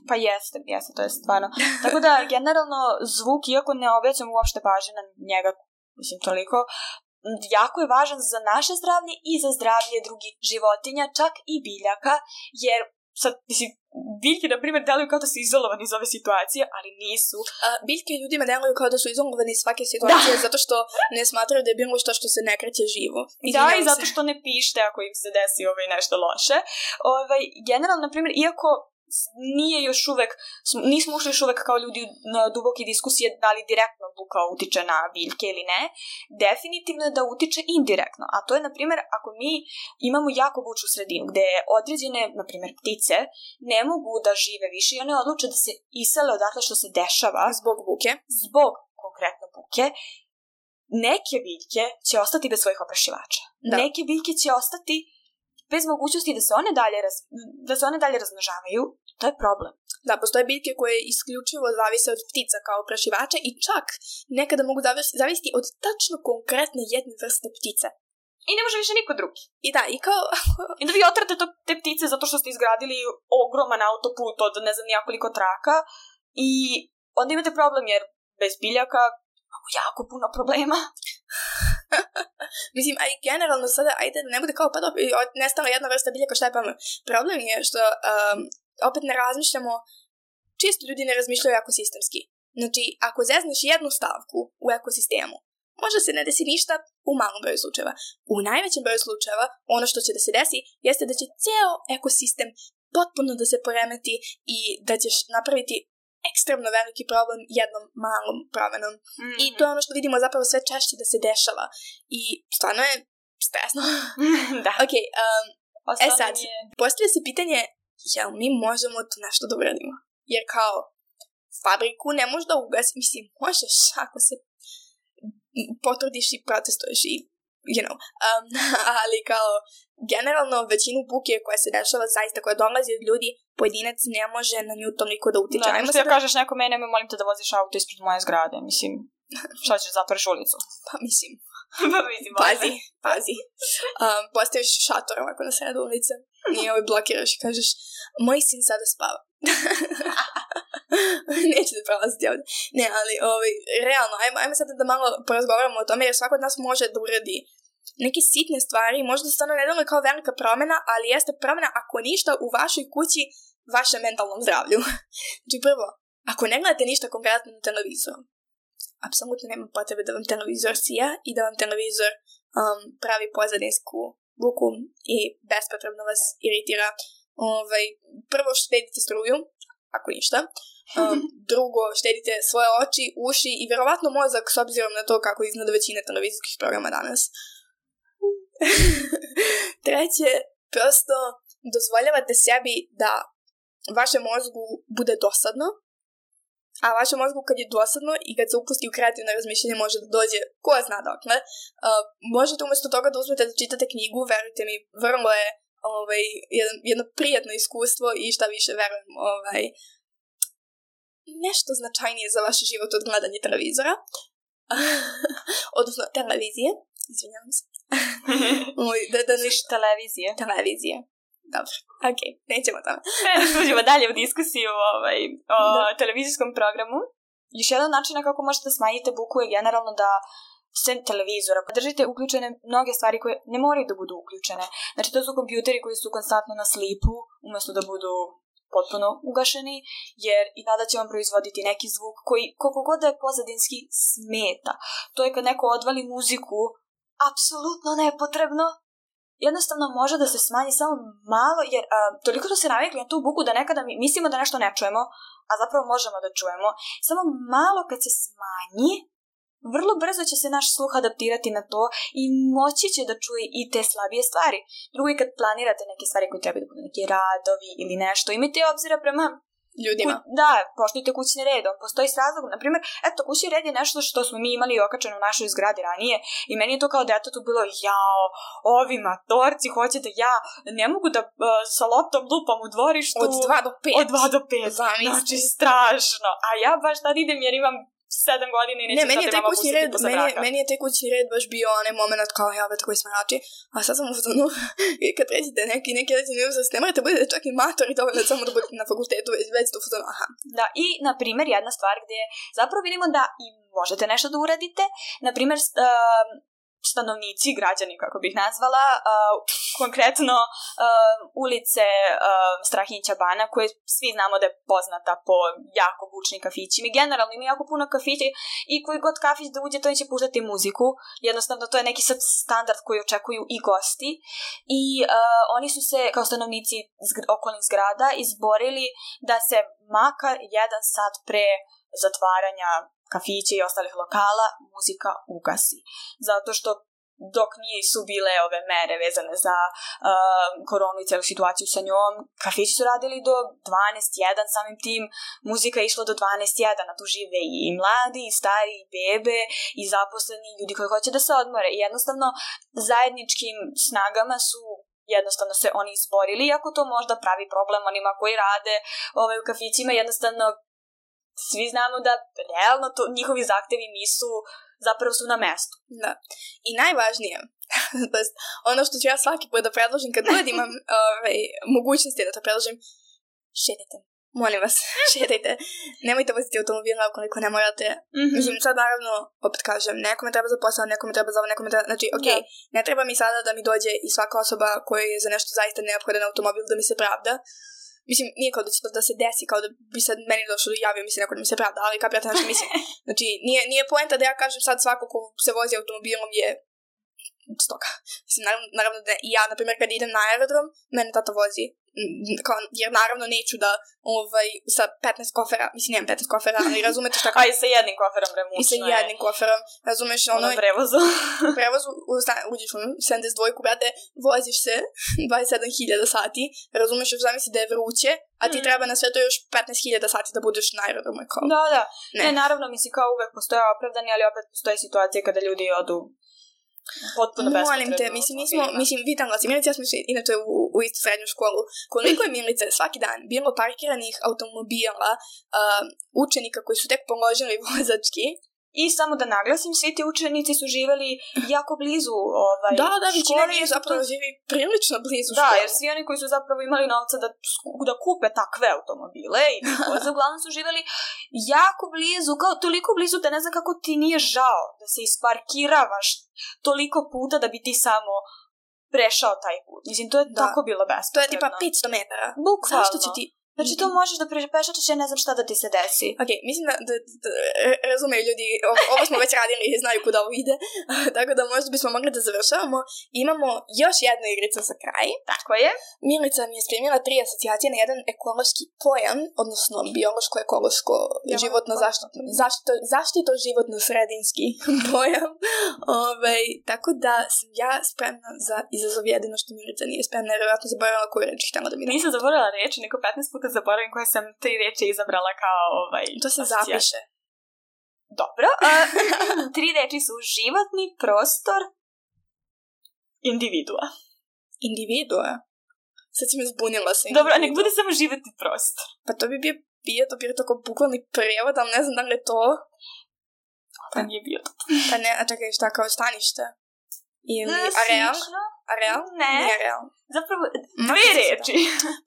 S2: Pa jeste, jeste, to je stvarno. Tako da, generalno, zvuk, iako ne obraćam uopšte pažnje na njega, mislim, toliko, jako je važan za naše zdravlje i za zdravlje drugih životinja, čak i biljaka, jer sad, mislim, biljke, na primjer, deluju kao da su izolovani iz ove situacije, ali nisu.
S1: A, biljke ljudima deluju kao da su izolovani iz svake situacije, da. Zato što ne smatraju da je bilo što što se ne kreće živo.
S2: Da, i zato što ne pište ako im se desi ovaj nešto loše. Ovaj, generalno, na primjer, iako nije još uvek, nismo ušli još uvek kao ljudi na duboke diskusije da li direktno buka utiče na biljke ili ne, definitivno je da utiče indirektno, a to je, na primjer, ako mi imamo jako bučnu sredinu gde određene, na primjer, ptice ne mogu da žive više i one odluče da se isele odatle što se dešava
S1: zbog buke,
S2: zbog konkretno buke, neke biljke će ostati bez svojih oprašivača. Da. Neke biljke će ostati bez mogućnosti da se one dalje, raz, da se one dalje razmnožavaju. To je problem.
S1: Da, postoje biljke koje isključivo zavise od ptica kao oprašivača i čak nekada mogu zavisiti od tačno konkretne jedne vrste ptice.
S2: I ne može više niko drugi.
S1: I da, i kao...
S2: I da vi otrate to, te ptice zato što ste izgradili ogroman autoput od ne znam nijakoliko traka i onda imate problem jer bez biljaka imamo jako puno problema.
S1: Mislim, a i generalno sada, ajde da ne bude kao pa dobro, nestala jedna vrsta biljaka, šta je pa problem je što um, opet ne razmišljamo, čisto ljudi ne razmišljaju ekosistemski. Znači, ako zezneš jednu stavku u ekosistemu, možda se ne desi ništa u malom broju slučajeva. U najvećem broju slučajeva, ono što će da se desi, jeste da će ceo ekosistem potpuno da se poremeti i da ćeš napraviti ekstremno veliki problem jednom malom promenom. Mm-hmm. I to je ono što vidimo zapravo sve češće da se dešava. I stvarno je stresno.
S2: Da.
S1: Ok, um, e sad, je... postavlja se pitanje, jel mi možemo to nešto da uradimo? Jer kao, fabriku ne možeš da ugasi, mislim, možeš ako se potrudiš i protestuješ i, you know, um, ali kao, generalno većinu buke koja se dešava zaista, koja dolazi od ljudi, pojedinac ne može na nju toliko da utiče.
S2: Da, što ja kažeš neko mene, me molim te da voziš auto ispred moje zgrade, mislim, šta ćeš, zatvoriš ulicu?
S1: Pa mislim,
S2: pa mislim,
S1: pazi, pazi. Um, postaviš šator ovako na sredu ulice i ovaj blokiraš i kažeš, moj sin sada spava. Neće da prolaziti ovdje. Ne, ali ovaj, realno, ajmo, ajmo sad da malo porazgovaramo o tome, jer svako od nas može da uradi neke sitne stvari, možda stvarno ne deluje kao velika promjena, ali jeste promjena ako ništa u vašoj kući, vašem mentalnom zdravlju. Znači prvo, ako ne gledate ništa konkretno na televizoru, apsolutno nema potrebe da vam televizor sija i da vam televizor um, pravi pozadinsku buku i bespotrebno vas iritira. Ovaj, prvo štedite struju, ako ništa. Um, drugo, štedite svoje oči, uši i verovatno mozak s obzirom na to kako izgleda većina televizijskih programa danas. Treće, prosto dozvoljavate sebi da vašem mozgu bude dosadno, a vašem mozgu kad je dosadno i kad se upusti u kreativno razmišljanje može da dođe ko zna dokle. Uh, možete umjesto toga da uzmete da čitate knjigu, verujte mi, vrlo je ovaj, jedno, jedno prijatno iskustvo i šta više verujem, ovaj, nešto značajnije za vaš život od gledanja televizora. Odnosno televizije, izvinjavam se. da, da
S2: niš televizije.
S1: Televizije. Dobro, ok, nećemo tamo.
S2: Uđemo dalje u diskusiju ovaj, o da. televizijskom programu. Još jedan način kako možete smanjiti buku je generalno da sem televizora podržite uključene mnoge stvari koje ne moraju da budu uključene. Znači to su kompjuteri koji su konstantno na slipu umjesto da budu potpuno ugašeni, jer i tada će vam proizvoditi neki zvuk koji koliko god da je pozadinski smeta. To je kad neko odvali muziku apsolutno nepotrebno. Jednostavno može da se smanji samo malo, jer a, toliko da se navikli na tu buku da nekada mi mislimo da nešto ne čujemo, a zapravo možemo da čujemo. Samo malo kad se smanji, vrlo brzo će se naš sluh adaptirati na to i moći će da čuje i te slabije stvari. Drugo je kad planirate neke stvari koje treba da budu neki radovi ili nešto, imajte obzira prema
S1: ljudima.
S2: Ku, da, poštujte kućni red, on postoji s razlogom. Naprimjer, eto, kućni red je nešto što smo mi imali okačeno u našoj zgradi ranije i meni je to kao detetu bilo, jao, ovi matorci hoće da ja ne mogu da uh, sa loptom lupam u dvorištu.
S1: Od dva do pet.
S2: Od dva do pet. Zamisli. Znači, strašno. A ja baš tad idem jer imam sedam godina i neću
S1: ne, meni je taj kućni red,
S2: meni,
S1: meni je taj kućni red baš bio onaj moment kao, ja, već koji smrači, a sad sam u fazonu, kad rećete neki, neki reći neuzast, ne morate budete čak i matori, dovoljno samo da budete na fakultetu, već, već u fazonu, aha.
S2: Da, i, na primjer, jedna stvar gdje zapravo vidimo da i možete nešto da uradite, na primjer, uh, stanovnici, građani, kako bih nazvala, uh, konkretno uh, ulice uh, Strahinjića Bana, koje svi znamo da je poznata po jako bučnim kafićima. Generalno ima jako puno kafića i koji god kafić da uđe, to će puštati muziku. Jednostavno, to je neki sad standard koji očekuju i gosti. I uh, oni su se, kao stanovnici zg- okolnih zgrada, izborili da se makar jedan sat pre zatvaranja kafića i ostalih lokala muzika ugasi. Zato što dok nisu bile ove mere vezane za uh, koronu i celu situaciju sa njom, kafići su radili do dvanaest jedan, samim tim muzika je išla do dvanaest jedan, a tu žive i mladi, i stari, i bebe, i zaposleni, ljudi koji hoće da se odmore. I jednostavno zajedničkim snagama su jednostavno se oni izborili, iako to možda pravi problem onima koji rade ovaj, u kafićima, jednostavno svi znamo da realno to, njihovi zahtevi nisu, zapravo su na mestu.
S1: Da. I najvažnije, ono što ću ja svaki put da predložim, kad god imam ovaj, mogućnosti da to predložim, šedite. Molim vas, šedajte. Nemojte voziti automobila ukoliko ne morate. Mm-hmm. Mislim, sad naravno, opet kažem, nekome treba za posao, nekome treba za ovo, nekome treba... Znači, okej, okay, ne treba mi sada da mi dođe i svaka osoba koja je za nešto zaista neophodan automobil da mi se pravda. Mislim, nije kao da će to da se desi, kao da bi sad meni došlo da javio mi se neko da mi se pravda, ali kapirate na što mislim. Znači, nije, nije poenta da ja kažem sad svako ko se vozi automobilom je stoka. Mislim, naravno, naravno da i ja, na primjer, kad idem na aerodrom, mene tata vozi. Kao, jer naravno neću da ovaj, sa petnaest kofera, mislim, nemam petnaest kofera, ali razumete šta...
S2: A i sa jednim koferom remučno je.
S1: I sa jednim koferom, razumeš ono...
S2: Ono prevozu.
S1: Prevozu, uđeš u sedamdeset dva, brate, voziš se dvadeset sedam hiljada sati, razumeš, još zamisli da je vruće, a ti mm. treba na sve to još petnaest hiljada sati da budeš na aerodromu. Kao.
S2: Da, da. Ne. ne, naravno, mislim, kao uvek postoje opravdani, ali opet postoje situacije kada ljudi odu potpuno bespotrebno.
S1: Molim te, mislim, mi smo, mislim, vitam vas, Milica, ja smo išli inače u, u istu srednju školu. Koliko je, Milice, svaki dan bilo parkiranih automobila, uh, učenika koji su tek položili vozački.
S2: I samo da naglasim, svi ti učenici su živeli jako blizu ovaj,
S1: da, da, većina njih zapravo to... živi prilično blizu
S2: da,
S1: škole.
S2: Jer svi oni koji su zapravo imali novca da, da kupe takve automobile i voze, uglavnom su živeli jako blizu, kao toliko blizu da ne znam kako ti nije žao da se isparkiravaš toliko puta da bi ti samo prešao taj put. Mislim, to je da. tako bilo bespotrebno.
S1: To je tipa petsto metara.
S2: Bukvalno.
S1: Zašto će ti
S2: Znači to možeš da prepešačeš, ja ne znam šta da ti se desi.
S1: Ok, mislim da, da, da razumeju ljudi, ovo, ovo smo već radili i znaju kuda ovo ide, tako da možda bismo mogli da završavamo. Imamo još jednu igricu za kraj.
S2: Tako je.
S1: Milica mi je spremila tri asocijacije na jedan ekološki pojam, odnosno biološko-ekološko ja, životno zaštito, zaštito, zaštito životno sredinski pojam. Ove, tako da sam ja spremna za izazov, jedino što Milica nije spremna, jer vjerojatno zaboravila koju reč htjela da mi
S2: nisam zaboravila reči, neko petnaest puta zaboravim koje sam tri reči izabrala kao ovaj...
S1: To se zapiše.
S2: Dobro. Uh, tri reči su životni prostor, individua.
S1: Individua? Sad si me zbunila sa
S2: individua. Dobro, a nek bude samo životni prostor.
S1: Pa to bi bio biotop, jer je tako bukvalni prijevod, ali ne znam da li je to...
S2: Pa nije biotop.
S1: Pa ne, a čekaj, šta kao stanište? Ili
S2: ne,
S1: areal? Areal?
S2: Ne.
S1: Nije areal.
S2: Zapravo, dve reči.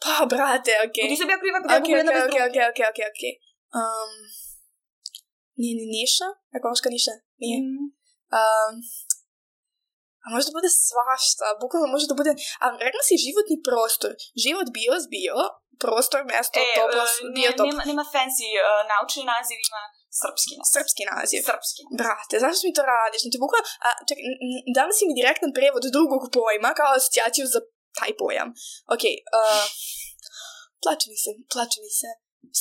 S1: Pa, brate, okej.
S2: Okay. Nisam ja kriva kada
S1: okay,
S2: mogu jedna
S1: okay,
S2: bez druge.
S1: Okej, okej, okej, okej. Nije ni niša? Ekološka niša? Nije.
S2: Mm.
S1: Um, a može da bude svašta. Bukvalno može da bude... A rekla si životni prostor. Život bios, bio. Prostor, mesto,
S2: e,
S1: topos,
S2: uh,
S1: biotop.
S2: Nema, nema fancy uh, naučni naziv, ima srpski naziv.
S1: Srpski naziv.
S2: Srpski.
S1: Brate, zašto mi to radiš? Znači, bukvalno... A, čekaj, dali si mi direktan prevod drugog pojma kao asocijaciju za taj pojam. Okej. Okay, uh, plače mi se, plače mi se.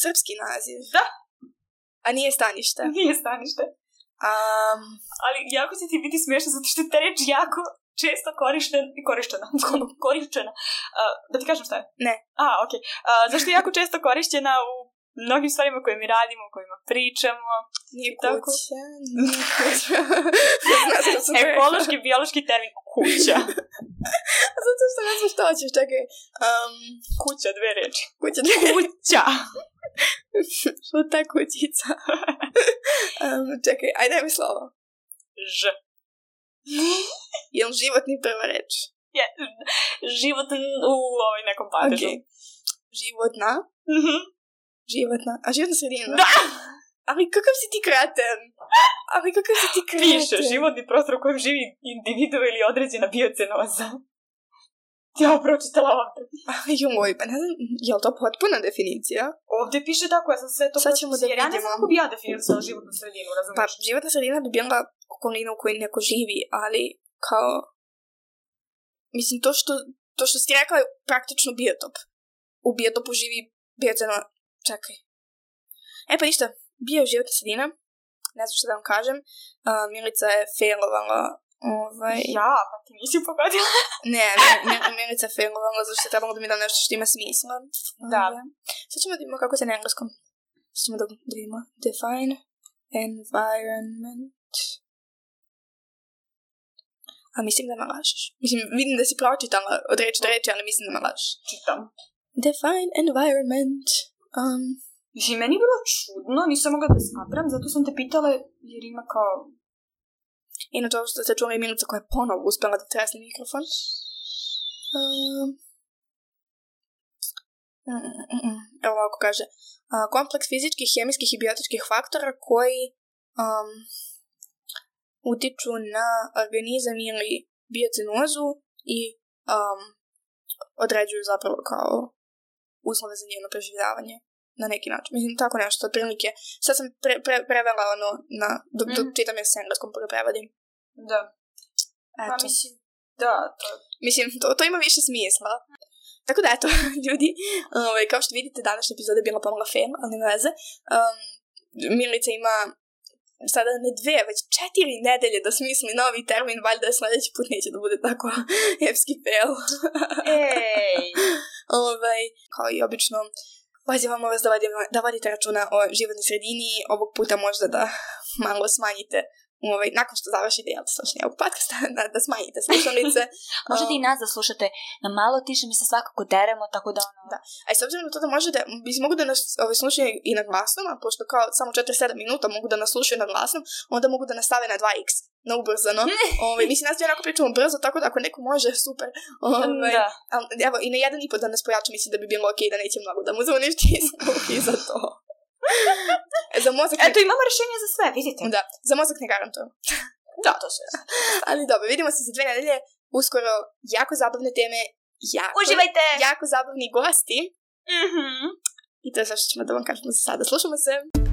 S1: Srpski naziv.
S2: Da.
S1: A nije stanište.
S2: Nije stanište.
S1: Um,
S2: Ali jako se ti biti smiješno zato što je ta reč jako često korišten, korištena. korišćena. Uh, da ti kažem šta je?
S1: Ne.
S2: A, okej. Okay. Uh, zašto je jako često korišćena u mnogim stvarima koje mi radimo, o kojima pričamo.
S1: Nije kuća. Nije kuća.
S2: Ekološki, biološki termin kuća.
S1: Zato što ne znam što hoćeš, čekaj. Um,
S2: kuća, dve reči.
S1: Kuća, dve reči.
S2: Kuća.
S1: Što ta kućica? um, čekaj, ajde mi slovo.
S2: Ž.
S1: Je li životni prva reč?
S2: Je, život u ovoj nekom padežu.
S1: Okay. Životna?
S2: Mhm.
S1: Životna. A životna sredina?
S2: Da!
S1: Ali kakav si ti kreten? Ali kakav si ti kreten?
S2: Piše, životni prostor u kojem živi individu ili određena biocenoza. Ja pročitala ovdje.
S1: Joj, pa ne znam, je li to potpuna definicija?
S2: Ovdje piše tako, ja sam sve to...
S1: Sad ćemo da vidimo.
S2: Ja ne znam kako bi ja definisala životnu sredinu, razumiješ?
S1: Pa, životna sredina bi bila okolina u kojoj neko živi, ali kao... Mislim, to što, to što si rekla je praktično biotop. U biotopu živi bioceno... Čekaj. E pa ništa, bio je životna sredina. Ne znam što da vam kažem. Uh, Milica je failovala. Ovaj...
S2: Ja, pa ti nisi pogodila.
S1: ne, ne, Milica je failovala, zato što je trebalo da mi da nešto što ima smisla.
S2: Da.
S1: Okay. Sad ćemo da vidimo kako se na engleskom. Sad ćemo da vidimo. Define environment. A mislim da me lažeš. Mislim, vidim da si pročitala od reči do reči, ali mislim da me lažeš.
S2: Čitam.
S1: Define environment. Um,
S2: Mislim, meni je bilo čudno, nisam mogla da skapram, zato sam te pitala jer ima kao...
S1: Inače, ovo što ste čuli je Milica koja je ponovo uspela da tresne mikrofon. Um, mm, mm, mm. Evo ovako kaže. Uh, kompleks fizičkih, hemijskih i biotičkih faktora koji um, utiču na organizam ili biocenozu i um, određuju zapravo kao uslove za njeno preživljavanje. Na neki način. Mislim, tako nešto, otprilike. Sad sam pre, pre, prevela ono na... Dok mm. čitam jer se engleskom preprevodim.
S2: Da.
S1: Eto.
S2: Pa mislim, da, to...
S1: Mislim, to, to ima više smisla. Tako da, eto, ljudi, ovaj, kao što vidite, današnja epizoda je bila pomala fail, ali nema veze. Um, Milica ima sada ne dve, već četiri nedelje da smisli novi termin, valjda sljedeći put neće da bude tako epski fail.
S2: Ej!
S1: ovaj, kao i obično, pozivamo vas da vodite, da vodite računa o životnoj sredini, ovog puta možda da malo smanjite, ovaj, nakon što završite jel, slušanje ovog podcasta, da, da smanjite slušalice.
S2: Možete um, i nas da slušate na malo tiše, mi se svakako deremo, tako da ono...
S1: Da. A i s obzirom na to da možete, mislim, mogu da nas ovaj, slušaju i na glasnom, a pošto kao samo četrdeset sedam minuta mogu da nas slušaju na glasnom, onda mogu da nastave na dva iks, na ubrzano. Ovaj, mislim, nas dvije onako pričamo brzo, tako da ako neko može, super. Ovaj,
S2: da.
S1: A, evo, i na jedan i po da nas pojača, mislim da bi bilo okej, okay, da neće mnogo da mu zuništi i za to. Za mozak...
S2: Eto, imamo rješenje za sve, vidite.
S1: Da, za mozak ne garantujem.
S2: Da, to sve.
S1: Ali dobro, vidimo se za dve nedelje, uskoro jako zabavne teme, jako,
S2: uživajte!
S1: Jako zabavni gosti.
S2: Mhm.
S1: I to je sve što ćemo da vam kažemo za sada. Slušamo se!